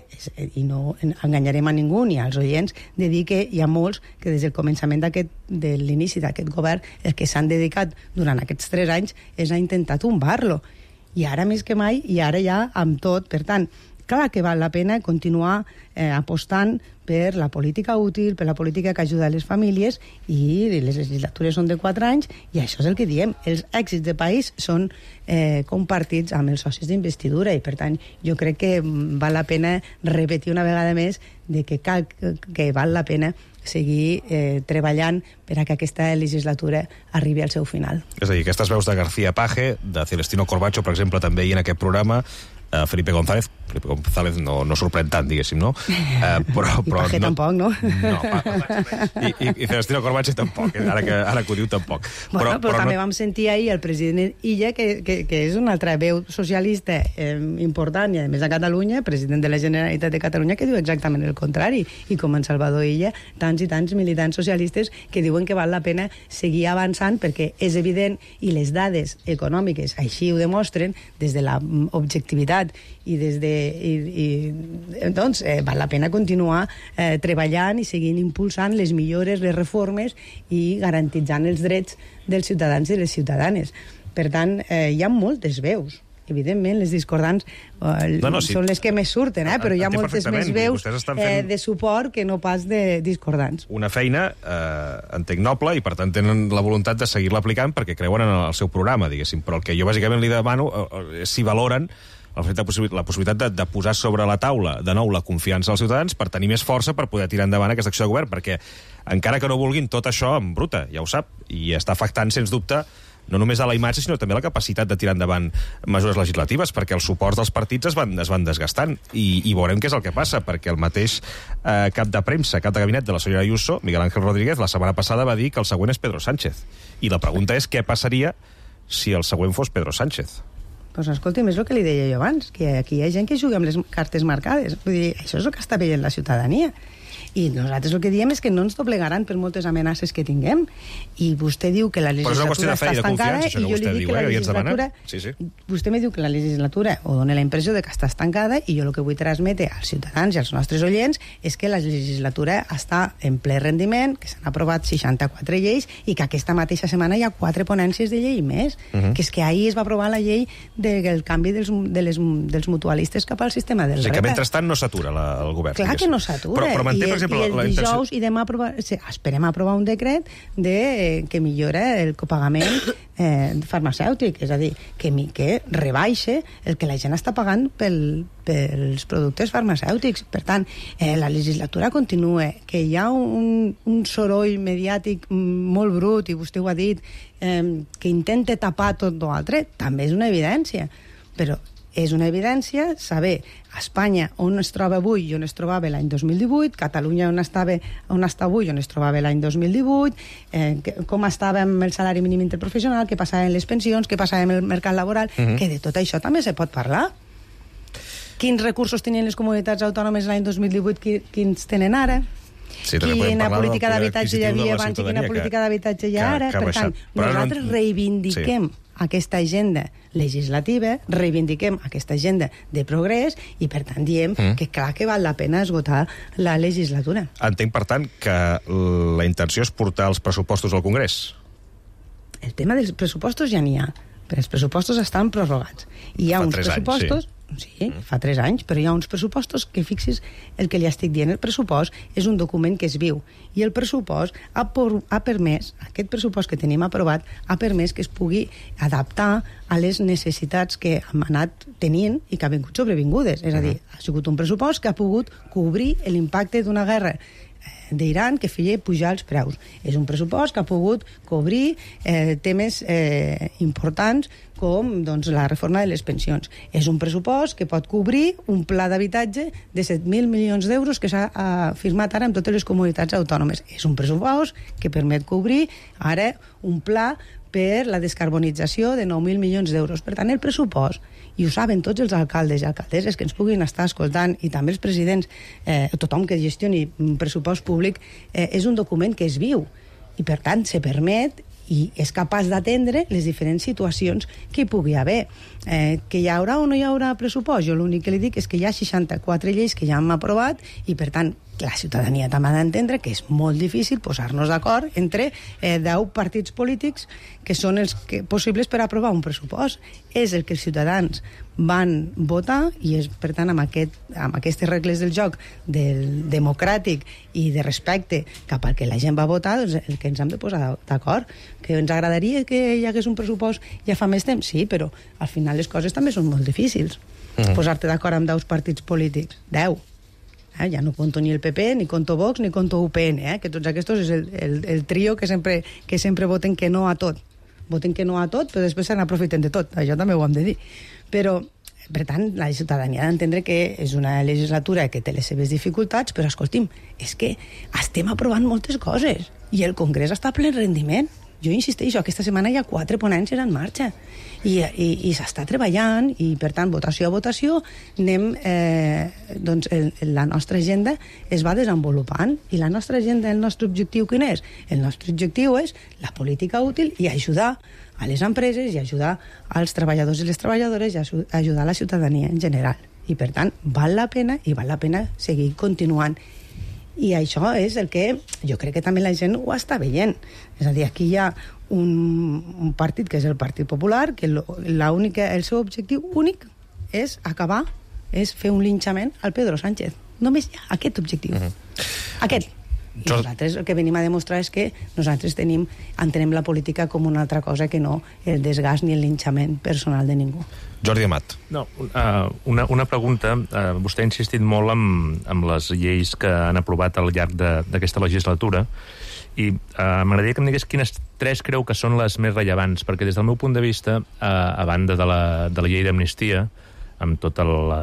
i no enganyarem a ningú ni als oients, de dir que hi ha molts que des del començament de l'inici d'aquest govern el que s'han dedicat durant aquests tres anys és a intentar tombar-lo. I ara més que mai, i ara ja amb tot. Per tant, clar que val la pena continuar eh, apostant per la política útil, per la política que ajuda a les famílies, i les legislatures són de quatre anys, i això és el que diem. Els èxits de país són eh, compartits amb els socis d'investidura, i per tant jo crec que val la pena repetir una vegada més de que, cal, que val la pena seguir eh, treballant per a que aquesta legislatura arribi al seu final. És a dir, aquestes veus de García Paje, de Celestino Corbacho, per exemple, també hi en aquest programa, Uh, Felipe González, Felipe González no, no sorprèn tant, diguéssim, no? Uh, però, però I Paje no, tampoc, no? No, i, i, i Celestino Corbacho tampoc, eh? ara, que, ara que ho diu tampoc. Bueno, però, però, però també no... vam sentir ahir el president Illa, que, que, que és una altra veu socialista eh, important, i a més a Catalunya, president de la Generalitat de Catalunya, que diu exactament el contrari, i com en Salvador Illa, tants i tants militants socialistes que diuen que val la pena seguir avançant perquè és evident, i les dades econòmiques així ho demostren, des de l'objectivitat i des de... I, i, doncs, eh, val la pena continuar eh, treballant i seguint impulsant les millores, les reformes i garantitzant els drets dels ciutadans i les ciutadanes. Per tant, eh, hi ha moltes veus. Evidentment, les discordants eh, no, no, sí. són les que més surten, eh? però hi ha moltes més veus eh, de suport que no pas de discordants. Una feina, eh, entenc, noble, i per tant tenen la voluntat de seguir-la aplicant perquè creuen en el seu programa, diguéssim. Però el que jo bàsicament li demano eh, és si valoren el fet de possi- la possibilitat de, de posar sobre la taula de nou la confiança dels ciutadans per tenir més força per poder tirar endavant aquesta acció de govern, perquè encara que no vulguin tot això en bruta, ja ho sap, i està afectant, sens dubte, no només a la imatge, sinó també a la capacitat de tirar endavant mesures legislatives, perquè els suports dels partits es van, es van desgastant, i, i veurem què és el que passa, perquè el mateix eh, cap de premsa, cap de gabinet de la senyora Ayuso, Miguel Ángel Rodríguez, la setmana passada va dir que el següent és Pedro Sánchez. I la pregunta és què passaria si el següent fos Pedro Sánchez. Doncs pues escolti'm, és el que li deia jo abans, que aquí hi ha gent que juga amb les cartes marcades. Vull dir, això és el que està veient la ciutadania. I nosaltres el que diem és que no ens doblegaran per moltes amenaces que tinguem. I vostè diu que la legislatura està estancada i jo li dic que la legislatura... Sí, sí. Vostè me diu que la legislatura o dona la impressió de que està estancada i jo el que vull transmetre als ciutadans i als nostres oients és que la legislatura està en ple rendiment, que s'han aprovat seixanta-quatre lleis i que aquesta mateixa setmana hi ha quatre ponències de llei més. Uh -huh. Que és que ahir es va aprovar la llei del canvi dels, de les, dels mutualistes cap al sistema del o sigui R E P. que mentrestant no s'atura la, el govern. Clar que no s'atura. Però, però manté, per exemple, i el la dijous intenció... i demà aprovar, esperem aprovar un decret de, eh, que millora el copagament eh, farmacèutic, és a dir, que, que rebaixe el que la gent està pagant pel, pels productes farmacèutics. Per tant, eh, la legislatura continua, que hi ha un, un soroll mediàtic molt brut, i vostè ho ha dit, eh, que intenta tapar tot l'altre, també és una evidència, però és una evidència saber a Espanya on es troba avui i on es trobava l'any dos mil divuit, Catalunya on, estava, on està avui i on es trobava l'any dos mil divuit, eh, que, com estava amb el salari mínim interprofessional, què passava amb les pensions, què passava amb el mercat laboral, uh -huh. que de tot això també se pot parlar. Quins recursos tenien les comunitats autònomes l'any dos mil divuit, quins tenen ara? Sí, quina política d'habitatge hi havia abans i quina política d'habitatge hi ha ara. Per tant, nosaltres reivindiquem sí. aquesta agenda legislativa, reivindiquem aquesta agenda de progrés i, per tant, diem mm. que clar que val la pena esgotar la legislatura. Entenc, per tant, que la intenció és portar els pressupostos al Congrés. El tema dels pressupostos ja n'hi ha, però els pressupostos estan prorrogats. I hi ha Fa uns tres pressupostos... Anys, sí. Sí, fa tres anys, però hi ha uns pressupostos que, fixis el que li estic dient, el pressupost és un document que es viu, i el pressupost ha, por, ha permès, aquest pressupost que tenim aprovat, ha permès que es pugui adaptar a les necessitats que hem anat tenint i que han vingut sobrevingudes. És a dir, ha sigut un pressupost que ha pogut cobrir l'impacte d'una guerra d'Iran que feia pujar els preus. És un pressupost que ha pogut cobrir eh, temes eh, importants com doncs, la reforma de les pensions. És un pressupost que pot cobrir un pla d'habitatge de set mil milions d'euros que s'ha eh, firmat ara amb totes les comunitats autònomes. És un pressupost que permet cobrir ara un pla per la descarbonització de nou mil milions d'euros. Per tant, el pressupost, i ho saben tots els alcaldes i alcaldesses que ens puguin estar escoltant, i també els presidents, eh, tothom que gestioni un pressupost públic, eh, és un document que es viu, i per tant se permet i és capaç d'atendre les diferents situacions que hi pugui haver. Eh, que hi haurà o no hi haurà pressupost? Jo l'únic que li dic és que hi ha seixanta-quatre lleis que ja hem aprovat i, per tant, la ciutadania també ha d'entendre que és molt difícil posar-nos d'acord entre eh, deu partits polítics que són els que, possibles per aprovar un pressupost. És el que els ciutadans van votar i és, per tant, amb, aquest, amb aquestes regles del joc del democràtic i de respecte cap al que la gent va votar, doncs el que ens hem de posar d'acord. Que ens agradaria que hi hagués un pressupost ja fa més temps? Sí, però al final les coses també són molt difícils. Mm. Posar-te d'acord amb deu partits polítics. Deu. Eh, ja no conto ni el P P, ni conto Vox, ni conto U P N, eh, que tots aquests és el, el, el trio que sempre, que sempre voten que no a tot. Voten que no a tot, però després se n'aprofiten de tot. Això també ho hem de dir. Però, per tant, la ciutadania ha d'entendre que és una legislatura que té les seves dificultats, però, escolti'm, és que estem aprovant moltes coses i el Congrés està a ple rendiment. Jo insisteixo, aquesta setmana hi ha quatre ponències en marxa i, i, i s'està treballant i, per tant, votació a votació anem, eh, doncs el, la nostra agenda es va desenvolupant i la nostra agenda, el nostre objectiu quin és? El nostre objectiu és la política útil i ajudar a les empreses i ajudar als treballadors i les treballadores i ajudar a la ciutadania en general. I, per tant, val la pena i val la pena seguir continuant. I això és el que jo crec que també la gent ho està veient. És a dir, aquí hi ha un, un partit que és el Partit Popular, que lo, la única, el seu objectiu únic és acabar, és fer un linxament al Pedro Sánchez. Només hi ha aquest objectiu. Uh-huh. Aquest. I nosaltres el que venim a demostrar és que nosaltres tenim, entenem la política com una altra cosa que no el desgast ni el linxament personal de ningú. Jordi Amat. No, uh, una, una pregunta. Uh, vostè ha insistit molt amb, amb les lleis que han aprovat al llarg d'aquesta legislatura i uh, m'agradaria que em digués quines tres creu que són les més rellevants, perquè des del meu punt de vista, uh, a banda de la, de la llei d'amnistia, amb tota la,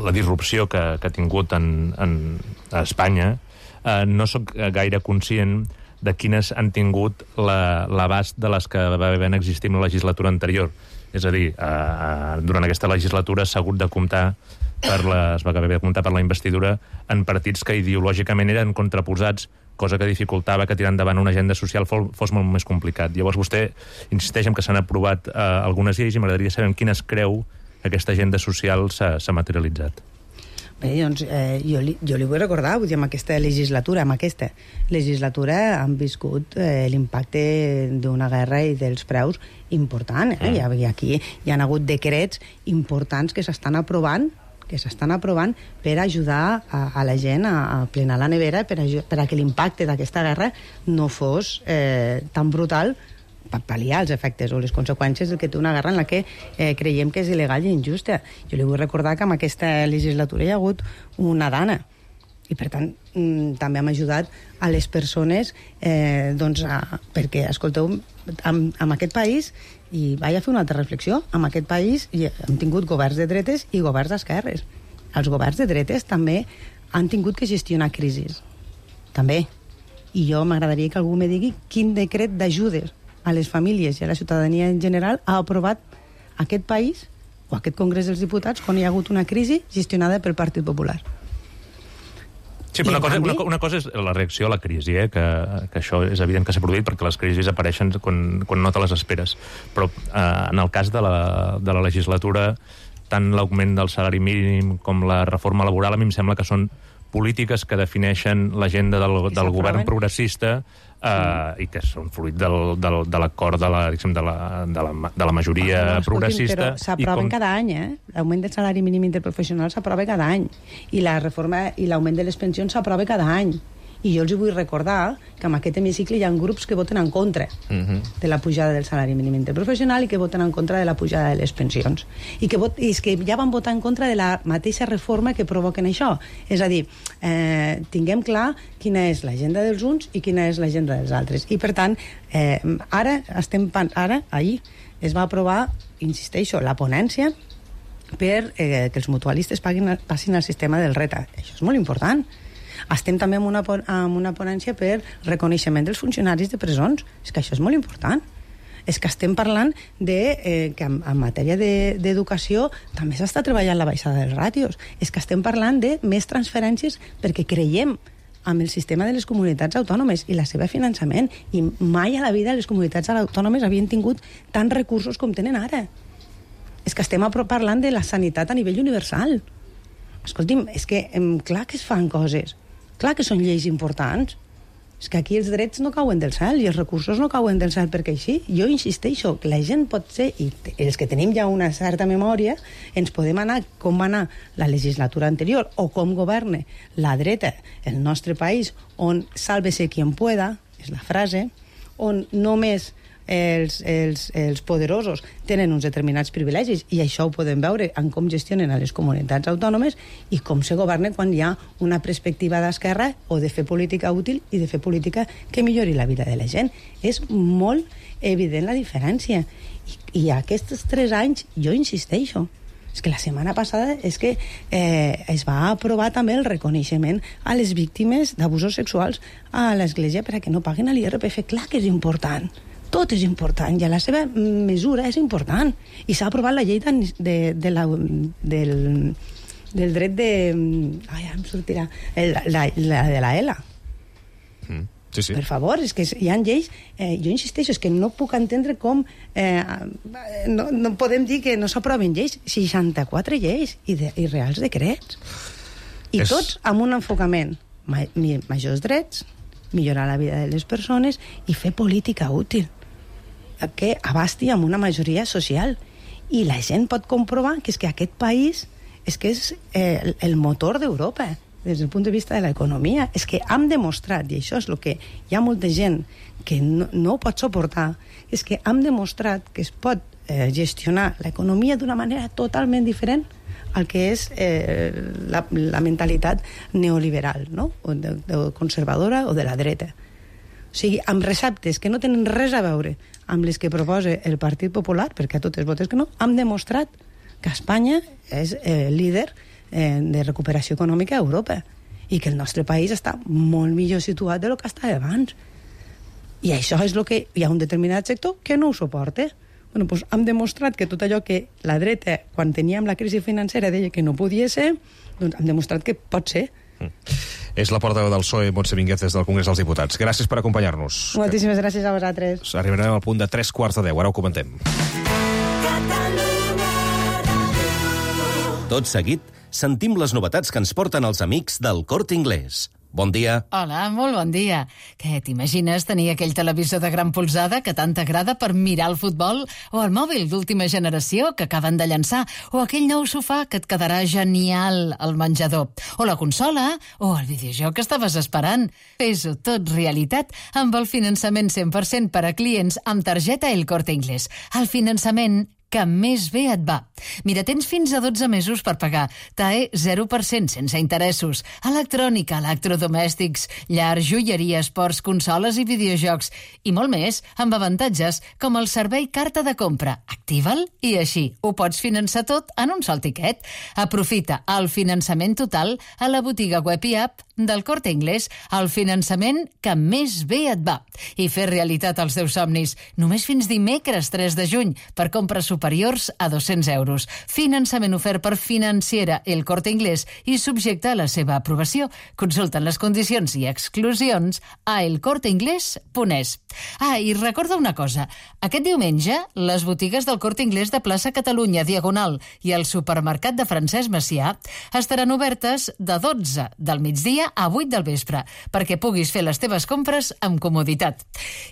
la disrupció que, que ha tingut en, en, a Espanya, uh, no sóc gaire conscient de quines han tingut l'abast de les que va haver existit en la legislatura anterior. És a dir, eh, durant aquesta legislatura s'ha hagut de comptar per la, es va haver de comptar per la investidura en partits que ideològicament eren contraposats, cosa que dificultava que tirar endavant una agenda social fos, fos molt més complicat. Llavors vostè insisteix en que s'han aprovat eh, algunes lleis i m'agradaria saber en quines creu que aquesta agenda social s'ha materialitzat. Bé, doncs, eh, jo, li, jo li vull recordar, vull dir, amb aquesta legislatura, amb aquesta legislatura han viscut eh, l'impacte d'una guerra i dels preus important. Eh? Mm. I aquí hi ha hagut decrets importants que s'estan aprovant que s'estan aprovant per ajudar a, a la gent a, a plenar la nevera per a, per a que l'impacte d'aquesta guerra no fos eh, tan brutal per pal·liar els efectes o les conseqüències del que té una guerra en la que eh, creiem que és il·legal i injusta. Jo li vull recordar que en aquesta legislatura hi ha hagut una dana i, per tant, mm, també hem ajudat a les persones eh, doncs, a, perquè, escolteu, en, en aquest país, i vaig a fer una altra reflexió, en aquest país hi hem tingut governs de dretes i governs d'esquerres. Els governs de dretes també han tingut que gestionar crisis. També. I jo m'agradaria que algú me digui quin decret d'ajudes a les famílies i a la ciutadania en general ha aprovat aquest país o aquest Congrés dels Diputats quan hi ha hagut una crisi gestionada pel Partit Popular. Sí, però una cosa, una, una cosa és la reacció a la crisi, eh? que, que això és evident que s'ha produït perquè les crisis apareixen quan, quan no te les esperes. Però eh, en el cas de la, de la legislatura, tant l'augment del salari mínim com la reforma laboral, a mi em sembla que són polítiques que defineixen l'agenda del, del govern progressista eh, i que són fruit del, del, de l'acord de, la, de, la, de, la, de la majoria ah, no, progressista. Però s'aproven com... cada any, eh? L'augment del salari mínim interprofessional s'aprova cada any. I la reforma i l'augment de les pensions s'aprova cada any. I jo els vull recordar que en aquest hemicicle hi ha grups que voten en contra uh-huh. de la pujada del salari mínim interprofessional i que voten en contra de la pujada de les pensions. I que, vot, i és que ja van votar en contra de la mateixa reforma que provoquen això. És a dir, eh, tinguem clar quina és l'agenda dels uns i quina és l'agenda dels altres. I, per tant, eh, ara, estem, ara, ahir, es va aprovar, insisteixo, la ponència per eh, que els mutualistes paguin, passin al sistema del R E T A. Això és molt important. Estem també amb una, amb una ponència per reconeixement dels funcionaris de presons. És que això és molt important. És que estem parlant de eh, que en, en matèria d'educació de, també s'està treballant la baixada dels ràtios. És que estem parlant de més transferències perquè creiem amb el sistema de les comunitats autònomes i la seva finançament. I mai a la vida les comunitats autònomes havien tingut tants recursos com tenen ara. És que estem parlant de la sanitat a nivell universal. Escolti'm, és que em, clar que es fan coses. Clar que són lleis importants. És que aquí els drets no cauen del cel i els recursos no cauen del cel perquè així. Jo insisteixo que la gent pot ser, i els que tenim ja una certa memòria, ens podem anar com va anar la legislatura anterior o com governa la dreta el nostre país, on sálvese quien pueda, és la frase, on només els, els, els poderosos tenen uns determinats privilegis, i això ho podem veure en com gestionen a les comunitats autònomes i com se governa quan hi ha una perspectiva d'esquerra o de fer política útil i de fer política que millori la vida de la gent. És molt evident la diferència. I, i aquests tres anys, jo insisteixo, és que la setmana passada és que eh, es va aprovar també el reconeixement a les víctimes d'abusos sexuals a l'Església perquè no paguin a l'I R P F. Clar que és important. Tot és important, i a la seva mesura és important. I s'ha aprovat la llei de, de, de la, del, del dret de... Ai, em sortirà... La, la, la de la E L A. Mm, sí, sí. Per favor, és que hi ha lleis... Eh, jo insisteixo, és que no puc entendre com... Eh, no, no podem dir que no s'aproven lleis. seixanta-quatre lleis i, de, i reals decrets. I és... tots amb un enfocament. Ma, majors drets, millorar la vida de les persones i fer política útil que abasti amb una majoria social. I la gent pot comprovar que és que aquest país és que és eh, el motor d'Europa. des del punt de vista de l'economia. És que hem demostrat, i això és el que hi ha molta gent que no, no ho pot suportar, és que hem demostrat que es pot eh, gestionar l'economia d'una manera totalment diferent al que és eh, la, la mentalitat neoliberal, no? O de, de conservadora o de la dreta. O sigui, amb receptes que no tenen res a veure amb les que proposa el Partit Popular, perquè a totes votes que no, hem demostrat que Espanya és eh, líder eh, de recuperació econòmica a Europa i que el nostre país està molt millor situat de lo que estava abans. I això és el que hi ha un determinat sector que no ho suporta. Bueno, doncs hem demostrat que tot allò que la dreta, quan teníem la crisi financera, deia que no podia ser, doncs hem demostrat que pot ser. Mm. És la portaveu del P S O E, Montse Mínguez, des del Congrés dels Diputats. Gràcies per acompanyar-nos. Moltíssimes gràcies a vosaltres. Arribarem al punt de tres quarts de deu, ara ho comentem. Tot seguit, sentim les novetats que ens porten els amics del Corte Inglés. Bon dia. Hola, molt bon dia. Què, t'imagines tenir aquell televisor de gran polzada que tant t'agrada per mirar el futbol? O el mòbil d'última generació que acaben de llançar? O aquell nou sofà que et quedarà genial al menjador? O la consola? O el videojoc que estaves esperant? Fes-ho tot realitat amb el finançament cent per cent per a clients amb targeta El Corte Inglés. El finançament que més bé et va. Mira, tens fins a dotze mesos per pagar. T A E zero per cent sense interessos. Electrònica, electrodomèstics, llar, joieria, esports, consoles i videojocs. I molt més, amb avantatges com el servei carta de compra. Activa'l i així ho pots finançar tot en un sol tiquet. Aprofita el finançament total a la botiga web i app del Corte Inglés, el finançament que més bé et va. I fer realitat els teus somnis. Només fins dimecres tres de juny per compres superiors a dos-cents euros. Finançament ofert per Financiera El Corte Inglés i subjecte a la seva aprovació. Consulten les condicions i exclusions a el corte inglés punt es. Ah, i recorda una cosa. Aquest diumenge, les botigues del Corte Inglés de plaça Catalunya, Diagonal, i el supermercat de Francesc Macià estaran obertes de dotze del migdia a vuit del vespre, perquè puguis fer les teves compres amb comoditat.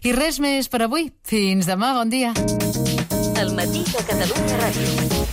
I res més per avui. Fins demà, bon dia. El matí de Catalunya Ràdio.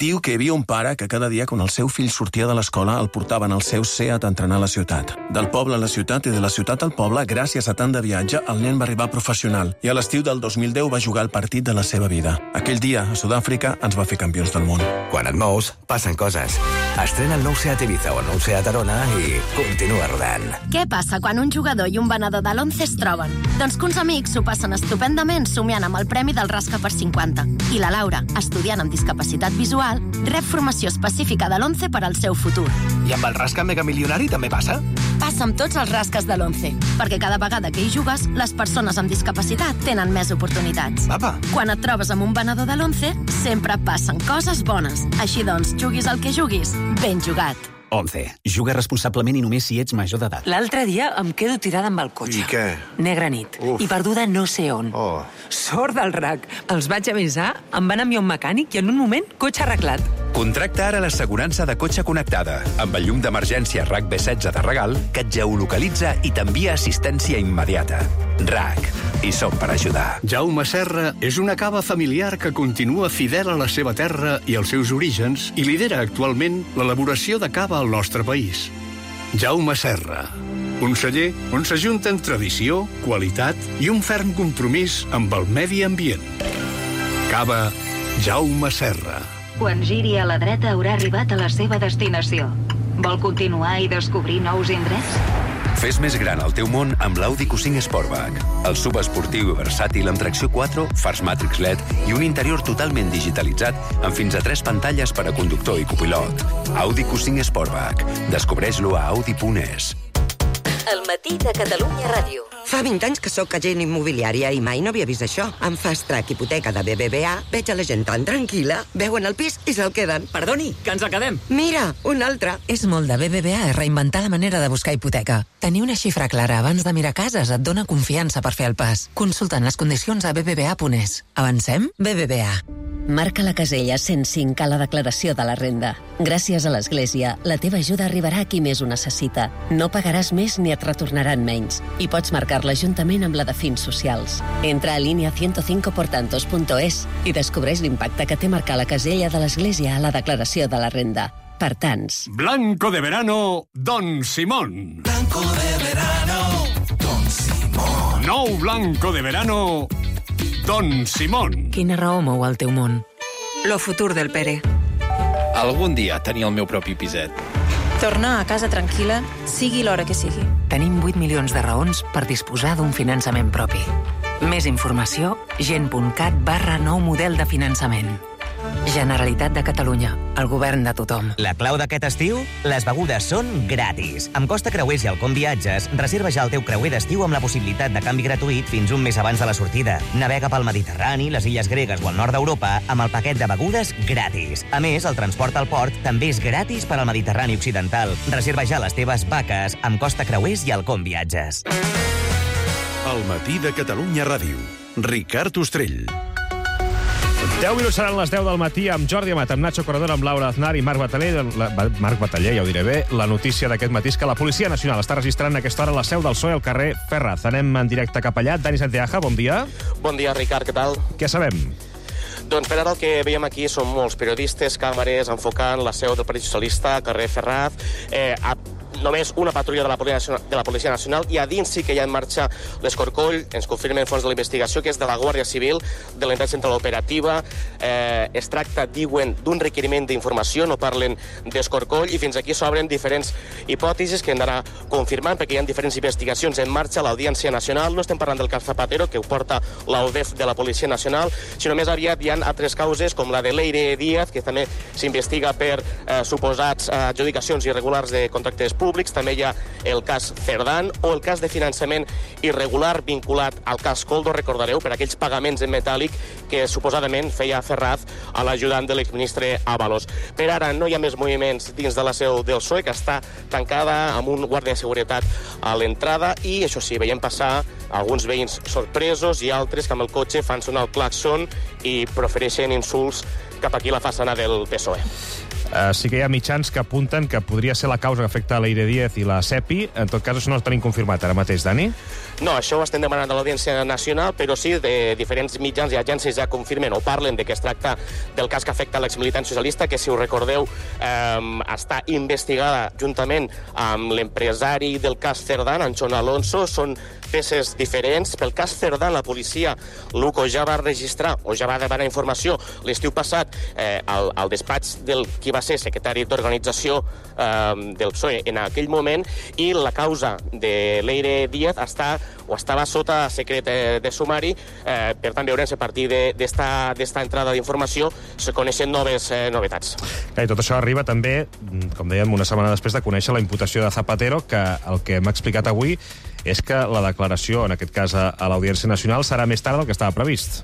Diu que hi havia un pare que cada dia, quan el seu fill sortia de l'escola, el portaven al seu Seat a entrenar a la ciutat. Del poble a la ciutat i de la ciutat al poble, gràcies a tant de viatge, el nen va arribar professional i a l'estiu del dos mil deu va jugar el partit de la seva vida. Aquell dia, a Sud-àfrica, ens va fer campions del món. Quan et mous, passen coses. Estrena el nou Seat Ibiza o el nou Seat Arona i continua rodant. Què passa quan un jugador i un venedor de l'Once es troben? Doncs que uns amics s'ho passen estupendament somiant amb el premi del Rasca per cinquanta. I la Laura, estudiant amb discapacitat visual, rep formació específica de l'Once per al seu futur. I amb el Rasca Mega Milionari també passa? Passa amb tots els rasques de l'Once, perquè cada vegada que hi jugues, les persones amb discapacitat tenen més oportunitats. Apa. Quan et trobes amb un venedor de l'Once, sempre passen coses bones. Així doncs, juguis el que juguis, ben jugat. Once. Juga responsablement i només si ets major d'edat. L'altre dia em quedo tirada amb el cotxe. I què? Negra nit. Uf. I perduda no sé on. Oh. Sort del rac. Els vaig avisar, em van enviar un mecànic i en un moment, cotxe arreglat. Contracta ara l'assegurança de cotxe connectada amb el llum d'emergència RAC B setze de regal que et geolocalitza i t'envia assistència immediata. RAC. I som per ajudar. Jaume Serra és una cava familiar que continua fidel a la seva terra i als seus orígens i lidera actualment l'elaboració de cava al nostre país. Jaume Serra, un celler on s'ajunten tradició, qualitat i un ferm compromís amb el medi ambient. Cava Jaume Serra. Quan giri a la dreta haurà arribat a la seva destinació. Vol continuar i descobrir nous indrets? Fes més gran el teu món amb l'Audi Q cinc Sportback. El subesportiu i versàtil amb tracció quatre, fars Matrix L E D i un interior totalment digitalitzat amb fins a tres pantalles per a conductor i copilot. Audi Q cinc Sportback. Descobreix-lo a audi punt es. El matí de Catalunya Ràdio. Fa vint anys que sóc agent immobiliària i mai no havia vist això. Amb Fast Track Hipoteca de B B V A veig a la gent tan tranquil·la, veuen el pis i se'l queden. Perdoni, que ens el quedem. Mira, un altre. És molt de B B V A reinventar la manera de buscar hipoteca. Tenir una xifra clara abans de mirar cases et dona confiança per fer el pas. Consultant les condicions a b b v a punt es. Avancem? B B V A. Marca la casella cent cinc a la declaració de la renda. Gràcies a l'Església, la teva ajuda arribarà a qui més ho necessita. No pagaràs més ni et retornaran menys. I pots marcar-la juntament amb la de fins socials. Entra a línia ciento cinco por tantos punto es i descobreix l'impacte que té marcar la casella de l'Església a la declaració de la renda. per tants. Blanco de verano, Don Simón. Blanco de verano, Don Simón. Nou blanco de verano, Don Simón. Quina raó mou el teu món? Lo futur del Pere. Algun dia tenir el meu propi piset. Tornar a casa tranquil·la, sigui l'hora que sigui. Tenim vuit milions de raons per disposar d'un finançament propi. Més informació, gent.cat barra nou model de finançament. Generalitat de Catalunya, el govern de tothom. La clau d'aquest estiu? Les begudes són gratis. Amb Costa Creuers i Alcom Viatges, reserva ja el teu creuer d'estiu amb la possibilitat de canvi gratuït fins un mes abans de la sortida. Navega pel Mediterrani, les illes gregues o el nord d'Europa amb el paquet de begudes gratis. A més, el transport al port també és gratis per al Mediterrani Occidental. Reserva ja les teves vaques amb Costa Creuers i Alcom Viatges. El matí de Catalunya Ràdio. Ricard Ostrell. deu minuts seran les deu del matí amb Jordi Amat, amb Nacho Corredor, amb Laura Aznar i Marc Bataller. La, Marc Bataller, ja ho diré bé. La notícia d'aquest matí és que la Policia Nacional està registrant a aquesta hora la seu del P S O E al carrer Ferraz. Anem en directe cap allà. Dani Santiaja, bon dia. Bon dia, Ricard, què tal? Què sabem? Doncs per ara el que veiem aquí són molts periodistes, càmeres, enfocant la seu del Partit Socialista, carrer Ferraz, eh, a només una patrulla de la, Policia, de la Policia Nacional, i a dins sí que hi ha en marxa l'escorcoll. Ens confirmen fons de la investigació que és de la Guàrdia Civil, de la Unitat Central Operativa. Eh, es tracta, diuen, d'un requeriment d'informació, no parlen d'escorcoll, i fins aquí s'obren diferents hipòtesis que hem d'anar confirmant, perquè hi ha diferents investigacions en marxa a l'Audiència Nacional. No estem parlant del cas Zapatero, que ho porta l'A U D E F de la Policia Nacional, sinó més aviat hi ha altres causes, com la de Leire Díaz, que també s'investiga per eh, suposats adjudicacions irregulars de contractes públics. També hi ha el cas Cerdán o el cas de finançament irregular vinculat al cas Coldo, recordareu, per aquells pagaments en metàl·lic que suposadament feia Ferraz a l'ajudant de l'exministre Ábalos. Per ara no hi ha més moviments dins de la seu del P S O E, que està tancada amb un guàrdia de seguretat a l'entrada, i això sí, veiem passar alguns veïns sorpresos i altres que amb el cotxe fan sonar el claxon i profereixen insults cap aquí a la façana del P S O E. Uh, sí que hi ha mitjans que apunten que podria ser la causa que afecta a Leire Díaz i la SEPI. En tot cas, això no ho tenim confirmat ara mateix, Dani? No, això ho estem demanant a l'Audiència Nacional, però sí, de diferents mitjans i agències ja confirmen o parlen de que es tracta del cas que afecta l'exmilitant socialista, que, si us recordeu, eh, està investigada juntament amb l'empresari del cas Cerdán, Anchón Alonso. Són peces diferents. Pel cas Cerdán, la policia, Luco, ja va registrar o ja va demanar informació l'estiu passat eh, al, al despatx del qui va ser secretari d'organització eh, del P S O E en aquell moment, i la causa de Leire Díaz està o estava sota secret de sumari. Eh, per tant, veurem si a partir d'esta entrada d'informació se coneixen noves eh, novetats. I tot això arriba també, com dèiem, una setmana després de conèixer la imputació de Zapatero, que el que m'ha explicat avui és que la declaració, en aquest cas a l'Audiència Nacional, serà més tard del que estava previst.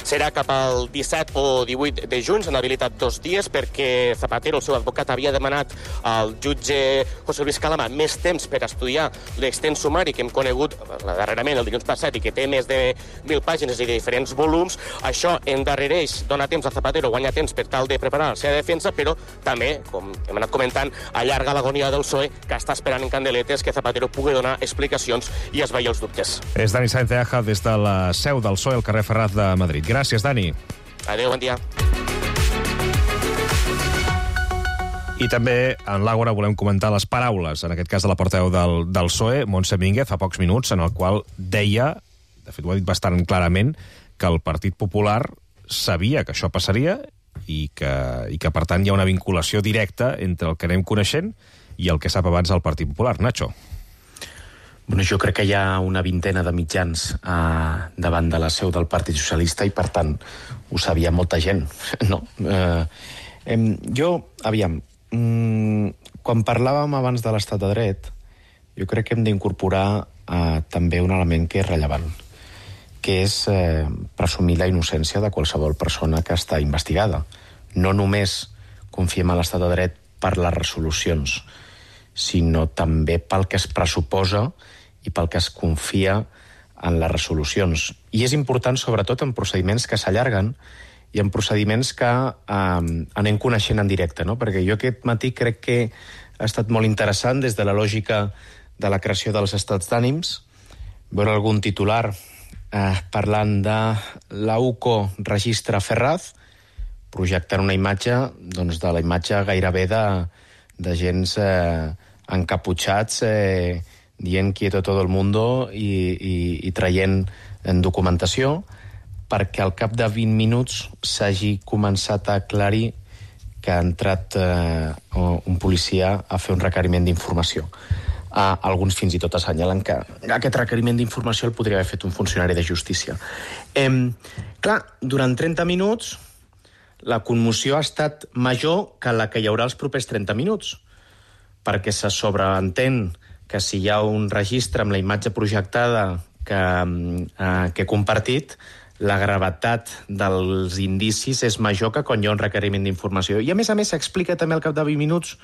Serà cap al disset o divuit de juny, s'han habilitat dos dies perquè Zapatero, el seu advocat, havia demanat al jutge José Luis Calama més temps per estudiar l'extens sumari que hem conegut darrerament el dilluns passat i que té més de mil pàgines i de diferents volums. Això endarrereix, dona temps a Zapatero, guanya temps per tal de preparar la seva defensa, però també, com hem anat comentant, allarga l'agonia del P S O E, que està esperant en candeletes que Zapatero pugui donar explicacions i esvair els dubtes. És Dani Santiaja des de la seu del P S O E al carrer Ferraz de Madrid. Gràcies, Dani. Adéu, bon dia. I també en l'Àgora volem comentar les paraules, en aquest cas de la portaveu del, del P S O E, Montse Mínguez, fa pocs minuts, en el qual deia, de fet ho ha dit bastant clarament, que el Partit Popular sabia que això passaria i que, i que per tant hi ha una vinculació directa entre el que anem coneixent i el que sap abans del Partit Popular. Nacho. Bueno, jo crec que hi ha una vintena de mitjans eh, davant de la seu del Partit Socialista i, per tant, ho sabia molta gent, no? Eh, eh, jo, aviam, mm, quan parlàvem abans de l'estat de dret, jo crec que hem d'incorporar eh, també un element que és rellevant, que és eh, presumir la innocència de qualsevol persona que està investigada. No només confiem en l'estat de dret per les resolucions, sinó també pel que es pressuposa i pel que es confia en les resolucions. I és important, sobretot, en procediments que s'allarguen i en procediments que eh, anem coneixent en directe, no? Perquè jo aquest matí crec que ha estat molt interessant, des de la lògica de la creació dels estats d'ànims, veure algun titular eh, parlant de l'A U C O registra Ferraz, projectant una imatge, doncs, de la imatge gairebé de, de gens eh, encaputxats, eh, dient quieto todo el mundo i, i, i traient en documentació, perquè al cap de vint minuts s'hagi començat a aclarir que ha entrat eh, un policia a fer un requeriment d'informació. Uh, alguns fins i tot assenyalen que aquest requeriment d'informació el podria haver fet un funcionari de justícia. Eh, clar, durant trenta minuts la commoció ha estat major que la que hi haurà els propers trenta minuts, perquè se sobreentén que si hi ha un registre amb la imatge projectada que, eh, que he compartit, la gravetat dels indicis és major que quan hi ha un requeriment d'informació. I, a més a més, s'explica també al cap de vint minuts,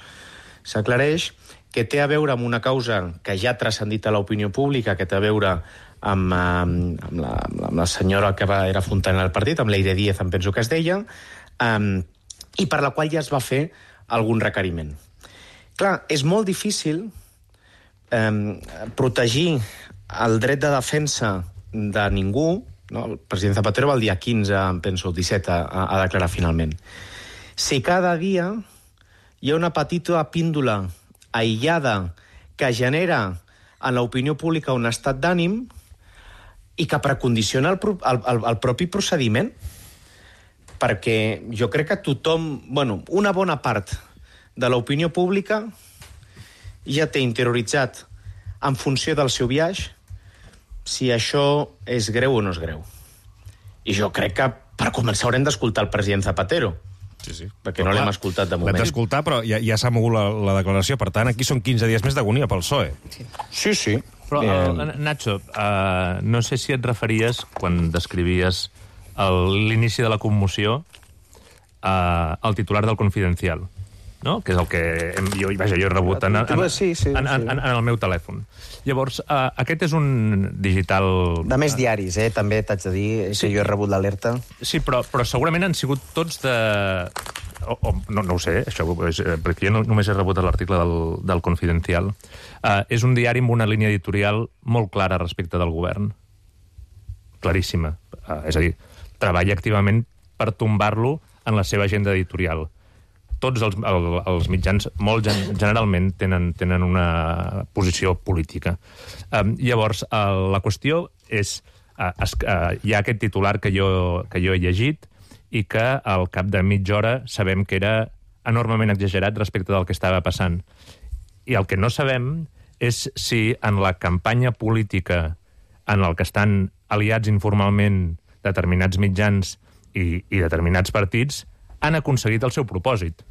s'aclareix, que té a veure amb una causa que ja ha transcendit a l'opinió pública, que té a veure amb, amb, amb, la, amb la senyora que va, era fontanera del partit, amb l'Eire Díez, em penso que es deia, um, i per la qual ja es va fer algun requeriment. Clar, és molt difícil um, protegir el dret de defensa de ningú. No? El president Zapatero va el dia quinze, em penso, el disset, a, a declarar finalment. Si cada dia hi ha una petita píndola aïllada que genera en l'opinió pública un estat d'ànim i que precondiciona el, el, el, el propi procediment, perquè jo crec que tothom, bueno, una bona part de l'opinió pública ja té interioritzat en funció del seu viatge si això és greu o no és greu. I jo crec que, per començar, haurem d'escoltar el president Zapatero. Sí, sí. Perquè no l'hem escoltat de moment. L'hem d'escoltar, però ja, ja s'ha mogut la, la declaració. Per tant, aquí són quinze dies més d'agonia pel P S O E. Sí, sí. sí. Però, eh, Nacho, uh, no sé si et referies, quan descrivies l'inici de la commoció, uh, al titular del Confidencial, no? Que és el que hem, jo, vaja, jo he rebut en, en, sí, sí, en, en, en el meu telèfon. Llavors, uh, aquest és un digital... De més diaris, eh? També t'haig de dir sí. que jo he rebut l'alerta. Sí, però, però segurament han sigut tots de... O, o, no, no ho sé, això, perquè jo no, només he rebut l'article del, del Confidencial. Uh, és un diari amb una línia editorial molt clara respecte del govern. Claríssima. Uh, és a dir, treballa activament per tombar-lo en la seva agenda editorial. Tots els, el, els mitjans, molt gen, generalment, tenen, tenen una posició política. Um, llavors, uh, la qüestió és... Uh, es, uh, hi ha aquest titular que jo, que jo he llegit i que al cap de mitja hora sabem que era enormement exagerat respecte del que estava passant. I el que no sabem és si en la campanya política en el que estan aliats informalment determinats mitjans i, i determinats partits han aconseguit el seu propòsit.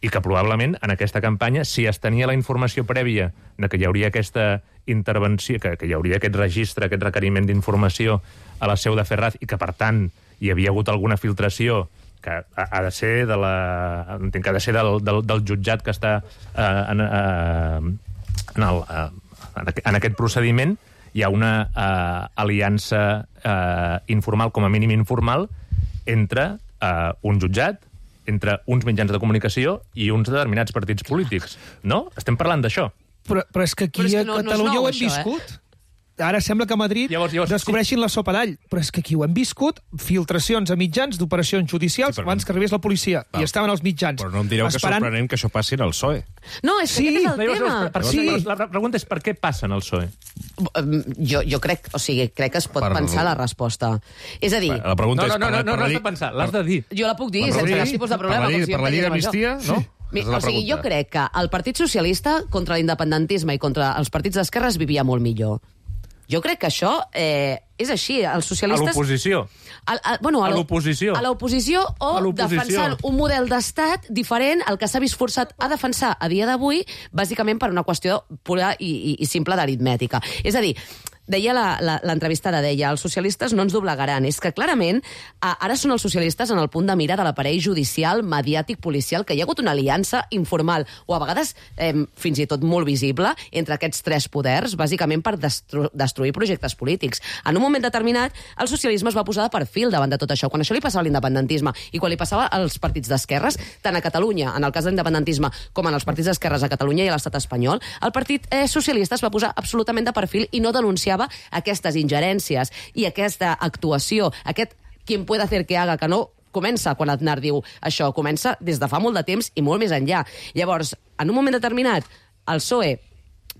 I que probablement en aquesta campanya, si es tenia la informació prèvia de que hi hauria aquesta intervenció, que, que hi hauria aquest registre, aquest requeriment d'informació a la seu de Ferraz i que, per tant, hi havia hagut alguna filtració que ha, ha de ser de la, entenc que ha de ser del, del, del jutjat que està eh, en, eh, en, el, eh, en aquest procediment, hi ha una eh, aliança eh, informal, com a mínim informal, entre eh, un jutjat, entre uns mitjans de comunicació i uns determinats partits polítics. No? Estem parlant d'això. Però, però és que aquí és que no, a Catalunya no nou, ho hem això, viscut. Eh? Ara sembla que a Madrid llavors, llavors, descobreixin sí. la sopa d'all, però és que aquí ho hem viscut, filtracions a mitjans d'operacions judicials sí, abans que arribés la policia, Val. i estaven els mitjans. Però no em direu esperant... que és sorprenent que això passi en el P S O E. No, és que sí. aquest és el no, tema. Per, per, sí. La pregunta és per què passa en el P S O E? Jo, jo crec, o sigui, crec que es pot per... pensar la resposta. És a dir... La pregunta no, és... no, no, no, no, no l'has de pensar, l'has de dir. Jo la puc dir, sense cap tipus de problema. Per la, per la llei d'amnistia, no? Mi, o sigui, jo crec que el Partit Socialista contra l'independentisme i contra els partits d'esquerres vivia molt millor. Jo crec que això eh, és així. Els socialistes... A l'oposició. A, a, bueno, a l'oposició. A l'oposició o defensant un model d'estat diferent al que s'ha vist forçat a defensar a dia d'avui, bàsicament per una qüestió pura i, i, i simple d'aritmètica. És a dir, deia l'entrevistada, deia, els socialistes no ens doblegaran. És que clarament ara són els socialistes en el punt de mira de l'aparell judicial, mediàtic, policial, que hi ha hagut una aliança informal, o a vegades eh, fins i tot molt visible, entre aquests tres poders, bàsicament per destru destruir projectes polítics. En un moment determinat, el socialisme es va posar de perfil davant de tot això. Quan això li passava a l'independentisme i quan li passava als partits d'esquerres, tant a Catalunya, en el cas de l'independentisme, com en els partits d'esquerres a Catalunya i a l'estat espanyol, el partit eh, socialista es va posar absolutament de perfil i no denunciava aquestes ingerències i aquesta actuació, aquest quien puede hacer que haga, que no comença quan Aznar diu això, comença des de fa molt de temps i molt més enllà. Llavors, en un moment determinat, el P S O E,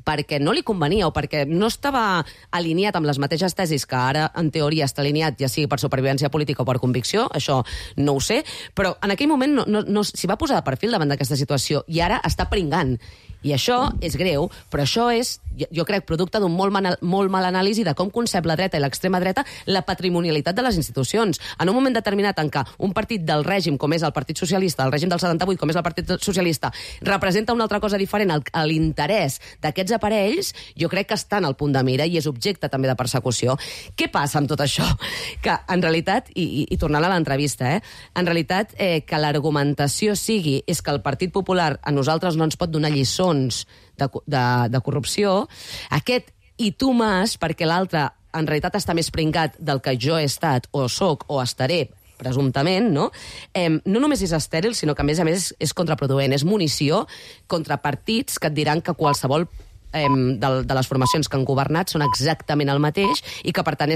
perquè no li convenia o perquè no estava alineat amb les mateixes tesis que ara, en teoria, està alineat, ja sigui per supervivència política o per convicció, això no ho sé, però en aquell moment no, no, no s'hi va posar de perfil davant d'aquesta situació i ara està pringant. I això és greu, però això és, jo, jo crec, producte d'un molt, mal, molt mal anàlisi de com concep la dreta i l'extrema dreta la patrimonialitat de les institucions. En un moment determinat en què un partit del règim, com és el Partit Socialista, el règim del setanta-vuit, com és el Partit Socialista, representa una altra cosa diferent a l'interès d'aquests aparells, jo crec que està en el punt de mira i és objecte també de persecució. Què passa amb tot això? Que, en realitat, i, i, i tornant a l'entrevista, eh, en realitat, eh, que l'argumentació sigui és que el Partit Popular a nosaltres no ens pot donar lliçons de, de, de corrupció, aquest i tu mas, perquè l'altre en realitat està més pringat del que jo he estat, o soc, o estaré, presumptament, no? Eh, no només és estèril, sinó que a més a més és, és contraproduent, és munició contra partits que et diran que qualsevol eh, de, de les formacions que han governat són exactament el mateix i que per tant